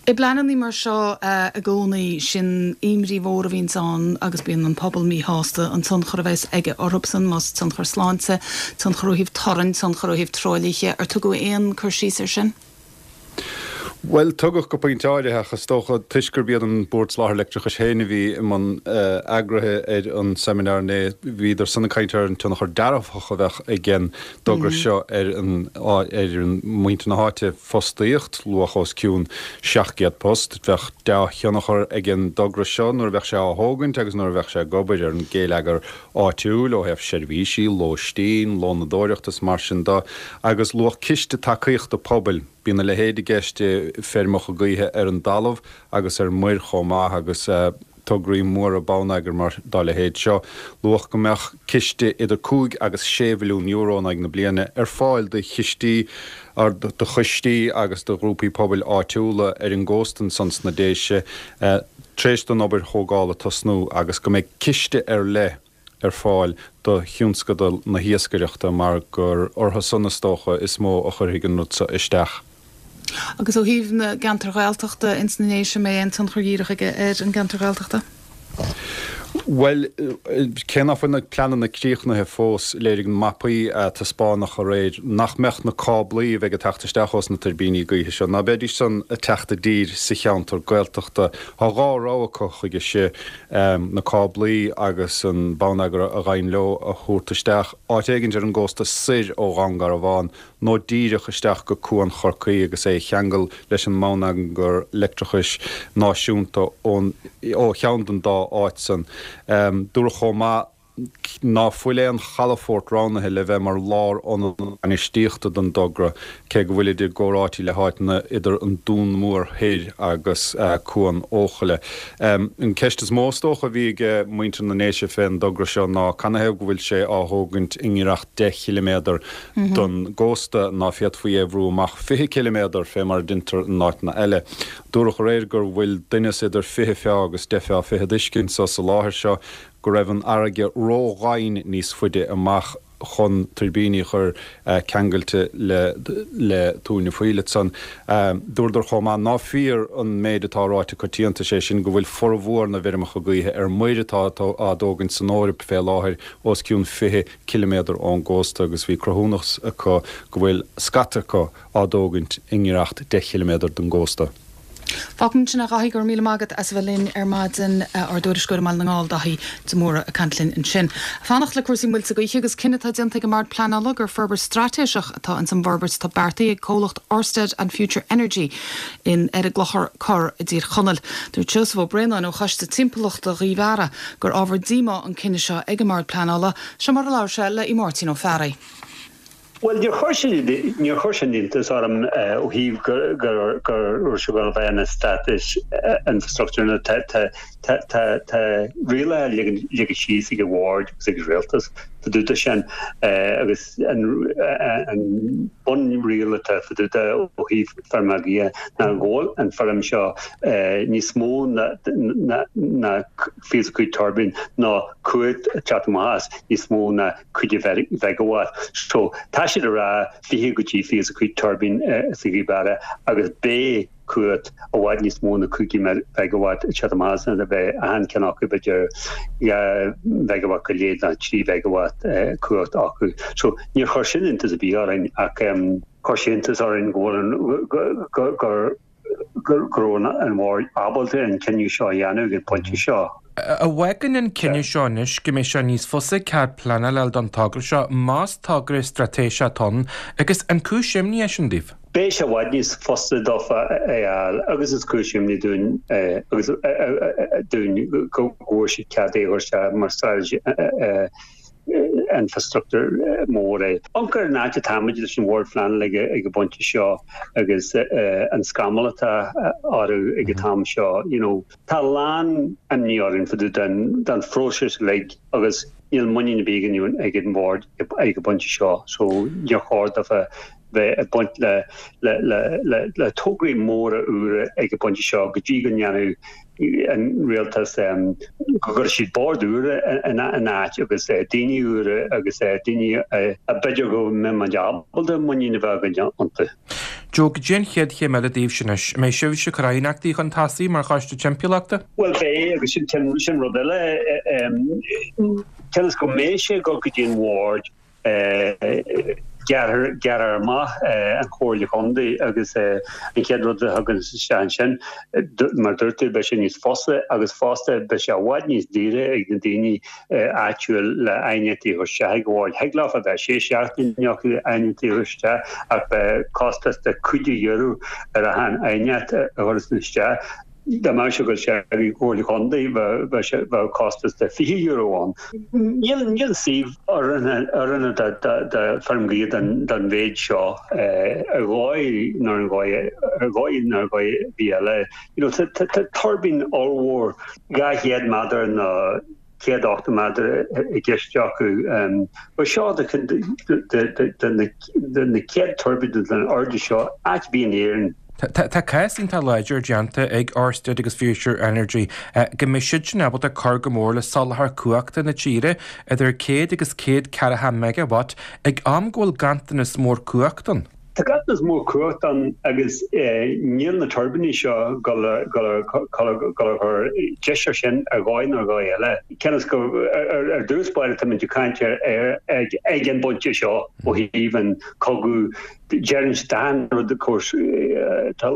I bpleanannaí mar seo i gcónaí, sin imní mhór a bhíonns ann agus bíonn an pobal míshásta, an tionchar a bheas aige orthubsan, más tionchar sláinte, tionchar ó thaobh torainn, tionchar ó thaobh truaillithe, ar tugadh aon cur síos air sin? Bhuel, tugadh go pointe áirithe, ach is dócha, toisc gurb iad an Bord Soláthair Leictreachais féin a bhí i mbun eagraithe ar an seimineár inné, bhíodar san ag caint ar an tionchar dearfach a bheadh ag an dtogra seo ar an ar mhuintir na háite, fostaíocht, luach os cionn seacht gcéad post. Bheadh dea-thionchar ag an dtogra seo nuair a bheadh sé á thógaint agus nuair a bheadh sé ag obair ar an ghéilleagar áitiúil ó thaobh seirbhísí, lóistín, lónadóireacht is mar sin de, agus luach ciste tacaíochta pobail. Bíonn a leithéid i gceist i feirmeacha gaoithe ar an dtalamh agus ar muir chomh maith agus tograí móra bonneagair mar dá leithéid seo. Luadh go mbeadh ciste idir cúig agus sé mhilliún euro in aghaidh na bliana ar fáil do chistí, do choistí agus do ghrúpaí pobail áitiúla ar an gcósta ansan sna Déise tar éis don obair thógála tosnú agus go mbeidh ciste ar leith ar fáil do thionscadal na hiascaireachta mar gur orthu san is dócha is mó a chuirfidh an rud seo isteach. Agus ó thaobh na gceantar Ghaeltachta ins na nDéise, an mbeidh aon tionchar dhíreach aige ar an gceantar Ghaeltachta? Bhuel, cé ná fuil na pleananna críochnaithe fós, léirigh na mapaí a taispeánadh aréir nach mbeadh na cáblaí a bheidh ag teacht isteach ós na tuirbíní gaoithe seo, ná beidís san ag teacht i dtír sa cheantar Gaeltachta. Tá dhá rogha acu chuige seo. na cáblaí agus an bonneagar a ghabhann leo a thabhairt isteach áit éigint ar an gcósta soir ó Dhún Garbhán nó díreach isteach go Cuan Chorcaí agus é a cheangal leis an mbonneagar leictreachais náisiúnta ón ó cheann den dá áit san. Dúradh chomh maith ná fuil aon chalafort roghnaithe le bheith mar lárionad bainistíochta don dtogra, cé go bhfuilid i gcomhráití le háiteanna idir an Dún Mór Thoir agus Cuan Eochaille. An ceist is mó is dócha a bhí ag muintir na nDéise fén dtogra seo ná canathaobh go bhfuil sé á thógaint i ngiorracht deich chiliméadar don gcósta, ná féadfaí é a bhrú amach fiche ciliméadar fé mar a deintear in áiteanna eile. Dúradh aréir gur bhfuil doimhneas idir fiche feá agus deich feá fichead uisce anso sa láthair seo, go raibh an fharraige ró-dhoimhin níos faide amach chun tuirbíní a chur ceangailte le le túirne fuíll ansan. Dúradar chomh maith ná fíor an méid atá ráite coitianta, sé sin go bhfuil formhór na bhfeirmeacha gaoithe ar muir atá á dtógaint san Eoraip fé láthair os cionn fiche ciliméadar ón gcósta agus bhí cruthúnas acu go bhfuil scata acu á dtógaint i ngiorracht deich chiliméadar don gcósta. Fágfaimid ansin é a Dhaithí, go raibh míle maith agat as a bheith linn ar maidin, ár dtuairisceoir i mBaile na nGall, Daithí de Mórdha ag caint linn ansin. Fanacht le cúrsaí muilte gaoithe agus cinneadh atá déanta ag an mBord Pleanála gur forbairt straitéiseach atá ins an bhforbairt atá beartaithe ag comhlacht Orsted and Future Energy in ar an gClochar Corr i dTír Chonaill. Dúirt Seosamh Ó Braonáin ó Choiste Timpeallachta Ghaoth Bheara gur ábhar díomá an cinneadh seo ag an mBord Pleanála. Seo mar a labhair sé le Máirtín Ó Fearraigh. Bhuel, níor chuir sin, níor chuir sin iontas orm ó thaobh gur, gur, gur raibh sé ag dul a bheith ina status infrastructure nó tá, tá, tá, tá, tá rialacha leagtha síos ag an Bhord agus ag an Rialtas fá dtaobh de sin agus an, an bunriail atá fá dtaobh de ó thaobh feirmeacha gaoithe ná go bhfuil an feirm seo níos mó ná, ná, ná fiche is a cúig tuirbín nó cumhacht ag teacht amach as níos mó ná cúig mheigeawatt. So, tá siad ag rá fiche go dtí fiche is a cúig tuirbín sa Ghaoth Beara agus beidh cumhacht i bhfad níos mó na cúig mheigeawatt ag teacht amach as sin, beidh achan ceann acu b'fhéidir dhá mheigeawatt go leith nó trí mheigeawatt cumhacht acu. So, níor chuir sin iontas ar bith orainn ach chuir sé iontas orainn go bhfuil an, gur, gur, go raibh an Bord ábalta an cinneadh seo a dhéanamh ag an bpointe seo. An bhfágann an cinneadh seo anois go mbeidh sé níos fusa cead pleanála a fháil don togra seo, más togra straitéiseach atá ann, agus an cúis imní é sin daoibh? Beidh sé i bhfad níos fusa dófa é a fháil agus is cúis imní dúinn agus dúinn go bhfuair siad cead é a chur isteach mar strategy infrastructure mór é. Amharc ar an áit atáimid leis an Bhord Phleanála ag an bpointe seo agus an scamall atá orthu ag an t-am seo, you know. Tá a lán imní orainn fá dtaobh den den phróiseas uilig agus níl muinín ar bith againn ag an Bhord ag an bpointe seo so níor chóir dófa bheith ag baint le le le le le tograí móra úra ag an bpointe seo go dtí go ndéanfaidh an rialtas go gcuirfidh siad bord úr ina áit agus daoine úra agus daoine a b'fhéidir go mbeidh muid ábalta muinín a bheith againn iontu. Joe, goidé an chéad chéim eile daoibhse anois? An mbeidh sibhse ag cur aighneachtaí chun tosaigh mar choiste timpeallachta? Bhuel beidh agus sin sin rud eile. Cionn is go mbeidh sé ag dul go dtí an bhord Gearrfar amach an Chomhairle Chontae agus an chéad rud a thagann isteach ansin, mar a dúirt tú, beidh sé níos fusa agus fosta beidh sé i bhfad níos daoire ag na daoine áitiúil le aighneachtaí a chur isteach ag an bhord. Thig leofa bheith sé seachtaine acu aighneachtaí a chur isteach ach beidh costas de cúig euro ar achan aighneacht a chuireas isteach. Dá mbeadh sé ag dul isteach ag an Chomhairle Chontae bheadh sé bheadh costas de fiche euro ann. Níl níl suíomh oiriúnach do do do feirm gaoithe den den mhéid seo ar dhóigh nó ar dhóigh ar dhóigh nó ar dhóigh ar bith eile. You know tá tá tá tuirbín ollmhór dhá chéad méadar nó céad ochtó méadar i gceist acu. Ba seo de na chéad tuirbín den airde seo áit ar bith in Éirinn. Tá cás iontach láidir déanta ag Ørsted agus Future Energy go mbeidh siadsan ábalta cur go mór le soláthar cumhachta na tíre idir céad agus céad ceathracha megawatt ag am go bhfuil ganntanas mór cumhachta ann. Tá ganntanas mór cumhachta ann agus níl na tuirbíní seo ag dul a chur deis air sin ar dhóigh nó ar dhóigh eile. Cionn is go ar dtús báire táimid ag caint ar ag an bpointe seo ó thaobh an cogadh deireann siad achan rud of course tá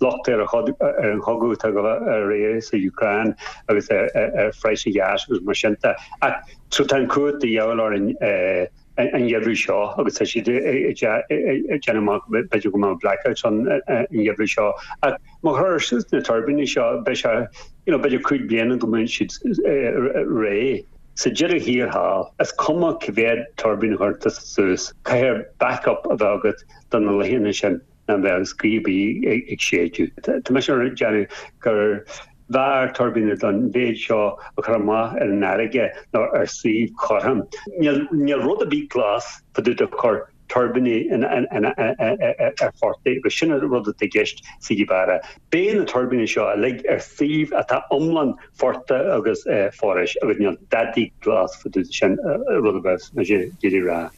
locht ar an chogadh atá ag dul ar aghaidh sa Úcráin agus ar phraghas an gháis agus mar sin de. Ach so tá an cumhacht de dhíobháil orainn an gheimhreadh seo agus tá siad ag déanamh amach b'fhéidir go mbeadh blackouts ann an gheimhreadh seo. Ach má chuirtear suas na tuirbíní seo beidh sé you know b'fhéidir cúig bliana go mbeidh siad réidh. Sa deireadh thiar thall, is cuma cá mhéad tuirbín a chuireann tusa suas, caithfidh backup a bheith agat do na laethanta sin. nach mbeadh gaoth ar bith ag séideadh. Tá mise ag déanamh gur bhfearr tuirbíní den mhéid seo a chur amach ar an fharraige ná ar suíomh cothrom. Níl rud ar bith glas fá dtaobh de chur tuirbíní ar phortaigh agus sin an rud atá i gceist sa Ghaoth Beidh na tuirbíní seo uilig ar suíomh atá iomlán phortach agus foraois agus níl dadaí glas fá dtaobh de sin rud a bheas mise ag iarraidh a rá.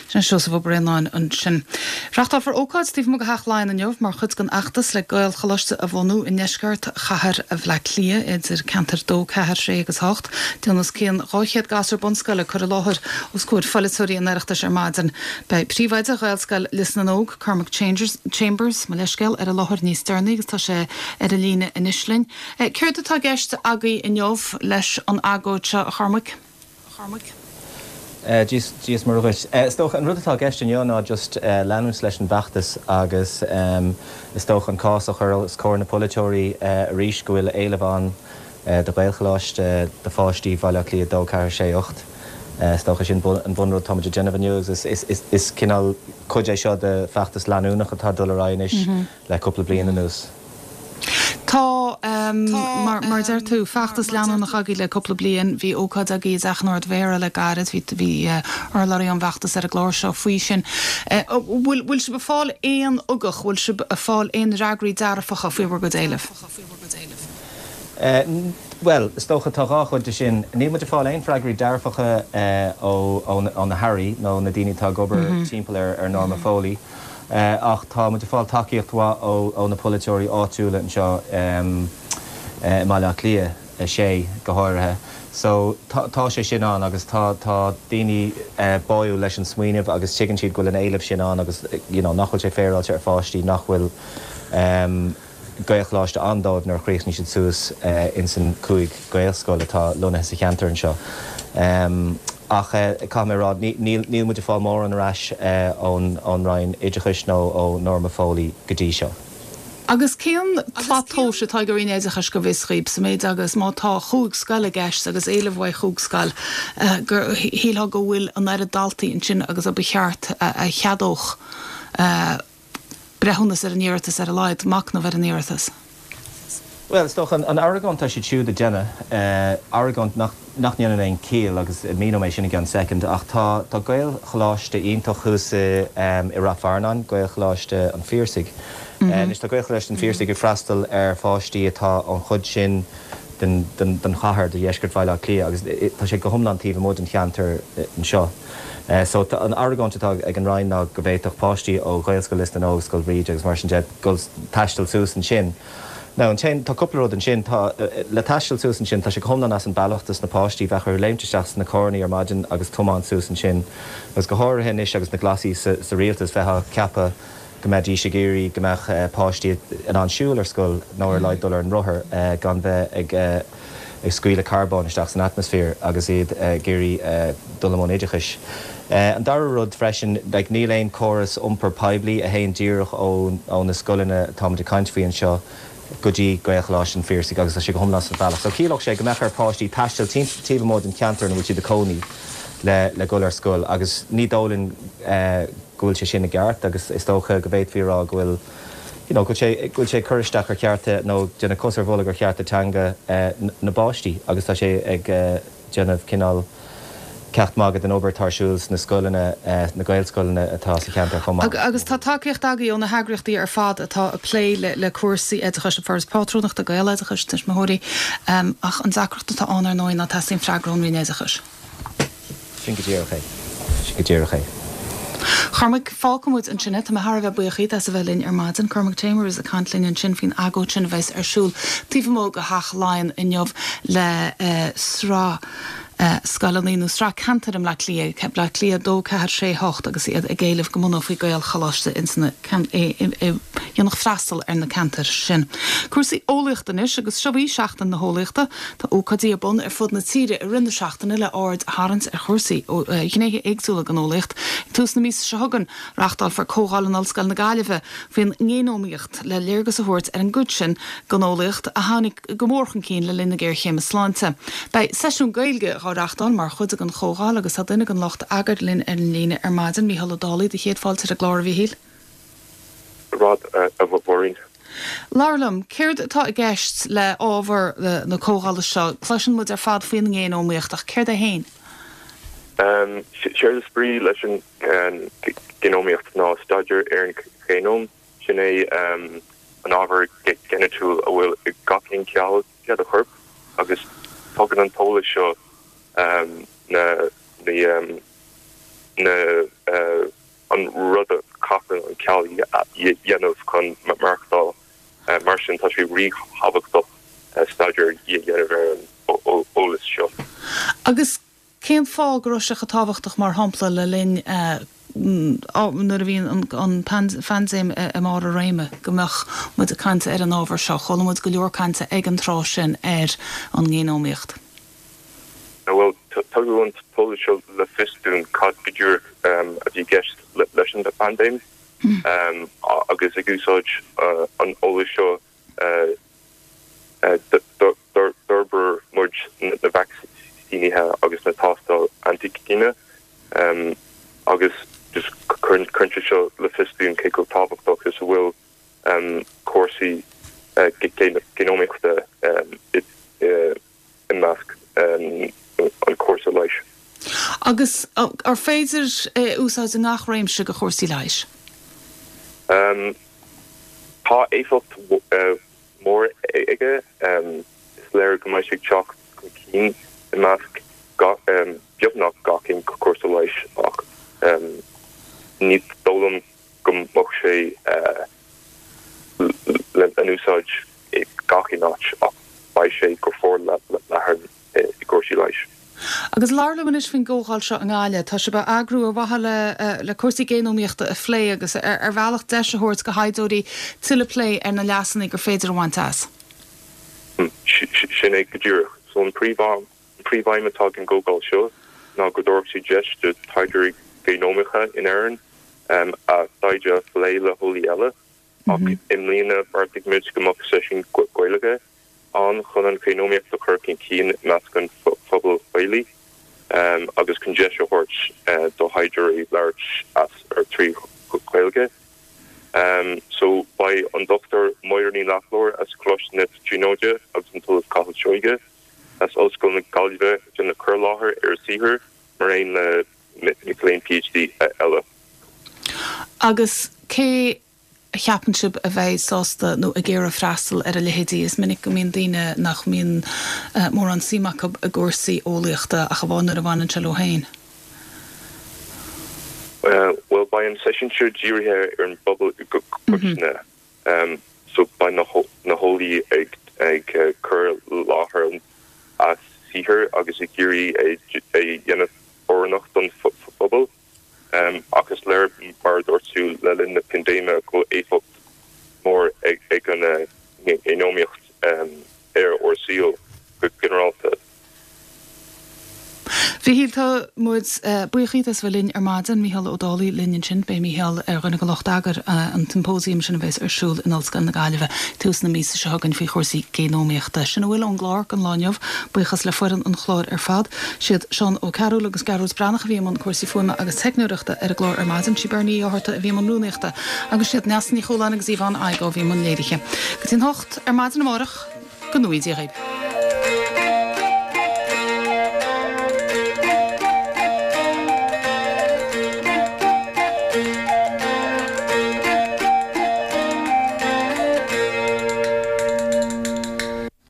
Sin Seosamh Ó Braonáin ansin. Reáchtálfar ócáid taobh amuigh de Theach Laighean inniu mar chuid den fheachtas le Gaelcholáiste a bhunú i ndeisceart chathair Bhaile Átha Cliath idir ceantair dó, ceathair, sé agus hocht. Déanfaidh os cionn dhá chéad gasúr bunscoile cur i láthair os comhair pholaiteoirí an Oireachtais ar maidin. Beidh príomhoide Ghaelscoil Lios na nÓg, Cormac Chambers, mo leithscéal, ar an láthair níos deireanaí agus tá sé ar an líne anois linn. Céard atá i gceist agaibh inniu leis an agóid seo, a Chormaic? Dia is Muire dhuit. Is dócha an rud atá i gceist inniu ná just leanúint leis an bhfeachtas agus is dócha an cás a chur os comhair na polaiteoirí arís go bhfuil éileamh ann do Ghaelcholáiste do pháistí Bhaile Átha Cliath dó, ceathair, sé, ocht. Is dócha sin an bunrud atá muid ag déanamh inniu agus is cineál cuid é seo de feachtas leanúnach atá ag dul ar aghaidh anois le cúpla bliain anuas. Tá, mar a deir tú, feachtas leanúnach agaibh le cúpla bliain. Bhí ócáid agaibh i dTeach an Ard-Mhéara le gairid, bhí bhí urlabhraí ón bhfeachtas ar an gclár seo faoi sin. Bhfuil bhfuil sibh ag fáil aon ugach, bhfuil sibh ag fáil aon fhreagraí dearfacha faoi bhur gcuid éileamh? Bhuel, is dócha, tá dhá chuid de sin. Níl muid ag fáil aon freagraí dearfacha ó ó na hairí nó na daoine atá ag obair timpeall ar ar Norma Foley. Ach tá muid ag fáil tacaíocht mhaith ó na polaiteoirí áitiúla anseo i mBaile Átha Cliath a sé go háirithe. So tá sé sin ann agus tá tá daoine báúil leis an smaoineamh agus tuigeann siad go bhfuil an éileamh sin ann agus you know nach bhfuil sé féaráilte ar pháistí nach bhfuil Gaelcholáiste ann dóibh nuair a chríochnaíonn siad suas ins an cúig Gaelscoil atá lonnaithe sa cheantar anseo. Ach caithfidh mé a rá, níl muid ag fáil mórán ar ais ón Roinn Oideachais nó ó Norma Foley go dtí seo. Agus cén tslat tomhais atá ag an Roinn Oideachais go bhfios dhaoib, sa méid agus má tá chúig scoil i gceist agus éileamh uaidh chúig scoil, gur shílfeá go bhfuil an oiread daltaí ansin agus a ba cheart a cheadódh breithiúnas ar an iarratas ar a laghad, machnamh ar an iarratas? Bhuel, is dócha, an argóint atá siad siúd a déanamh, argóint nach ndéanann aon chiall agus míneoidh mé sin i gceann soicind, ach tá tá Gaelcholáiste iontach thuas i i Rath Fearnáin, Gaelcholáiste an Phiarsaigh. Anois tá Gaelcholáiste an Phiarsaigh ag freastal ar pháistí atá ón chuid sin den den den chathair, de dheisceart Bhaile Átha Cliath agus tá sé go hiomlán taobh amuigh den cheantar anseo. So an argóint atá ag an Roinn ná go bhféadfadh páistí ó Ghaelscoil Lios na nÓg, Scoil Bhríde agus mar sin de dul taisteal suas ansin. Now ansin, tá cúpla rud ansin, tá, le taisteal suas ansin, tá sé go hiomlán as an bealach dos na páistí, bheadh orthu léimt isteach sna carrannaí ar maidin agus tiomáint suas ansin, agus go háirithe anois agus na Glasaigh sa, sa rialtas, bheifeá ag ceapadh go mbeidís ag iarraidh go mbeadh páistí in ann siúl ar scoil nó ar a laghad dul ar an rothar gan bheith ag, ag scaoileadh carbóin isteach san atmaisféar agus iad ag iarraidh dul i mbun oideachais. An dara rud freisin, like níl aon córas iompair poiblí a théann díreach ó na scoileanna atáimid ag caint faoi anseo go dtí Gaelcholáiste an Phiarsaigh agus tá sé go hiomlán as an bhealach. So chiallódh sé go mbeadh ar pháistí taisteal taobh amuigh den cheantar ina bhfuil siad ag cónaí le le dhul ar scoil agus ní dóigh linn go bhfuil sé sin i gceart agus is dócha go bhféadfaí a rá go bhfuil you know, go bhfuil sé, go bhfuil sé ag cur isteach ar chearta nó déanamh cos ar bholg ar chearta teanga na bpáistí agus tá sé ag déanamh cineál ceacht magaidh den obair atá ar siúl sna scoileanna, na Gaelscoileanna atá sa cheantar chomh maith. Agus tá tacaíocht agaibh ó na heagraíochtaí ar fad atá ag plé le cúrsaí oideachais, an Foras Pátrúnachta, Gaeloideachas, tuismitheoirí, ach an deacracht atá ann ar ndóigh ná teastaíonn freagra ón Roinn Oideachais. Sin go díreach é. Sin go díreach é. Cormac, fágfaidh muid ansin é. Tá mé thar a bheith buíoch díot as a bheith linn ar maidin. Cormac Chambers ag caint linn ansin faoin agóid sin a bheas ar siúl taobh amuigh de Theach Laighean inniu le sraith scoileanna nó sraith ceantar i mBleá Cliath, Bleá Cliath a dó, ceathair, sé, hocht, agus iad ag éileamh go mbunófaí Gaelcholáiste ins na a dhéanfadh freastal ar na ceantair sin. Cúrsaí eolaíochta anois agus seo í Seachtain na hEolaíochta. Tá ócáidí ar bun ar fud na tíre i rith na seachtaine le aird a tharraingt ar chúrsaí ó ghnéithe éagsúla den eolaíocht. Ag tús na míosa seo chugainn, reáchtálfar comhdháil in Ollscoil na Gaillimhe faoin ngéanómaíocht le léargas a thabhairt ar an gcuid sin den eolaíocht a tháinig go mór chun cinn le linn na géarchéime sláinte. Beidh seisiún Gaeilge á reáchtáil mar chuid den chomhdháil agus tá duine den lucht eagair linn ar an líne ar maidin, Mícheál Ó Dálaigh, do chéad fáilte ar an gclár, a Mhíchíl. rud a Mháirín. Labhair liom, céard atá i gceist le ábhar na comhdhála seo? Cloiseann muid ar fad faoin ngéanómaíocht, ach céard é féin? Séard is brí leis an ngéanómaíocht ná staidéar ar an ghéanóm, sin é an ábhar geinitiúil a bhfuil i gach aon cheall de do chorp agus tugann an t-eolas seo na na an rud a chaitheann an ceall a dhéanamh chun maireachtáil. Mar sin, tá sé ríthábhachtach staidéar a dhéanamh ar an eolas seo. Agus cén fáth go raibh sé chomh tábhachtach, mar shampla, le linn nuair a bhí an phaindéim i mbarr a réime, go mbeadh muid ag caint ar an ábhar seo? Chuala muid go leor cainte ag an tráth sin ar an ngéanómaíocht. Bhuel, tugadh an t-eolas seo le fios dúinn cad go díreach a bhí i gceist leis an bpaindéim agus ag úsáid an eolais seo d'fhorbair muid na vacsaínithe agus na tástáil antaigine agus just cuireann sé seo le fios dúinn cé chomh tábhachtach is a bhfuil cúrsaí géanómaíochta i i measc an cúrsa leighis. Agus ar féidir é a úsáid i ngach réimse de chúrsaí leighis? Tá éifeacht mhór aige. Is léir go mbeidh sé ag teacht chun cinn i measc beagnach gach aon chúrsa leighis ach ní dóigh liom go mbeadh sé le n-úsáid i gach aon áit ach beidh sé go forleathan i gcúrsaí leighis. Agus labhair liom anois faoin gcomhdháil seo i nGaillimh. Tá sibh á eagrú ar mhaithe le le cúrsaí géanómaíochta a phlé agus ar bhealach deis a thabhairt do thaighdeoirí tuilleadh plé ar na leasanna gur féidir a bhaint as. Sin é go díreach. So an príomhaidhm atá ag an gcomhdháil seo ná go dtabharfadh sé deis do taighdeoirí géanómacha in Éirinn a dtaighde a phlé le heolaí eile, ach i mbliana bheartaigh muid go mbeadh seisiún Gaeilge ann chun an ghéanómaíocht a chur chun cinn i measc an phobail Ghaelaigh agus chun deis a thabhairt do thaighdeoirí labhairt as ar trí Ghaeilge. So beidh an Dochtúir Máire Ní Lochlainn as Coláiste na Tríonóide agus an tOllamh Cathal Seoighe as Ollscoil na Gaillimhe ag déanamh cur i láthair ar a saothar mar aon le mic léinn PhD eile. Agus cé a cheapann sibh a bheidh sásta nó ag iarraidh freastal ar a leithéidí? Is minic go mbíonn daoine nach mbíonn mórán suim acu i gcúrsaí eolaíochta ach amháin nuair a bhaineann sé leo féin. Bhuel, beidh an seisiún seo dírithe ar an bpobal i gcoitinne. So beidh na heolaí ag ag cur i láthair a saothar agus ag iarraidh é a dhéanamh oiriúnach don phobal. Ach is léir, mar a dúirt tú, le linn na paindéime go bhfuil éifeacht mhór ag an ngéanómaíocht ar ár saol go ginearálta. Mhíchíl, tá muid buíoch díot as bheith linn ar maidin. Mícheál Ó Dálaigh linn ansin. Beidh Mícheál ar dhuine de lucht eagair an tsiompóisiam sin a bheas ar siúl in Ollscoil na Gaillimhe tús na míosa seo chugainn faoi chúrsaí géanómaíochta. Sin a bhfuil ón gclár don lá inniu. Buíochas le foireann an chláir ar fad. Siad Seán Ó Cearúil agus Gearóid Breathnach a bhí i mbun cúrsaí fuaime agus teicneoireachta ar an gclár ar maidin. Sí Bernie Uí Fhátharta a bhí i mbun rúnaíochta agus siad Neasa Ní Chualáin agus Yvonne Igoe a bhí i mbun léirithe. Go dtí an hocht ar maidin amárach, go ngnóthaí Dia dhaoibh.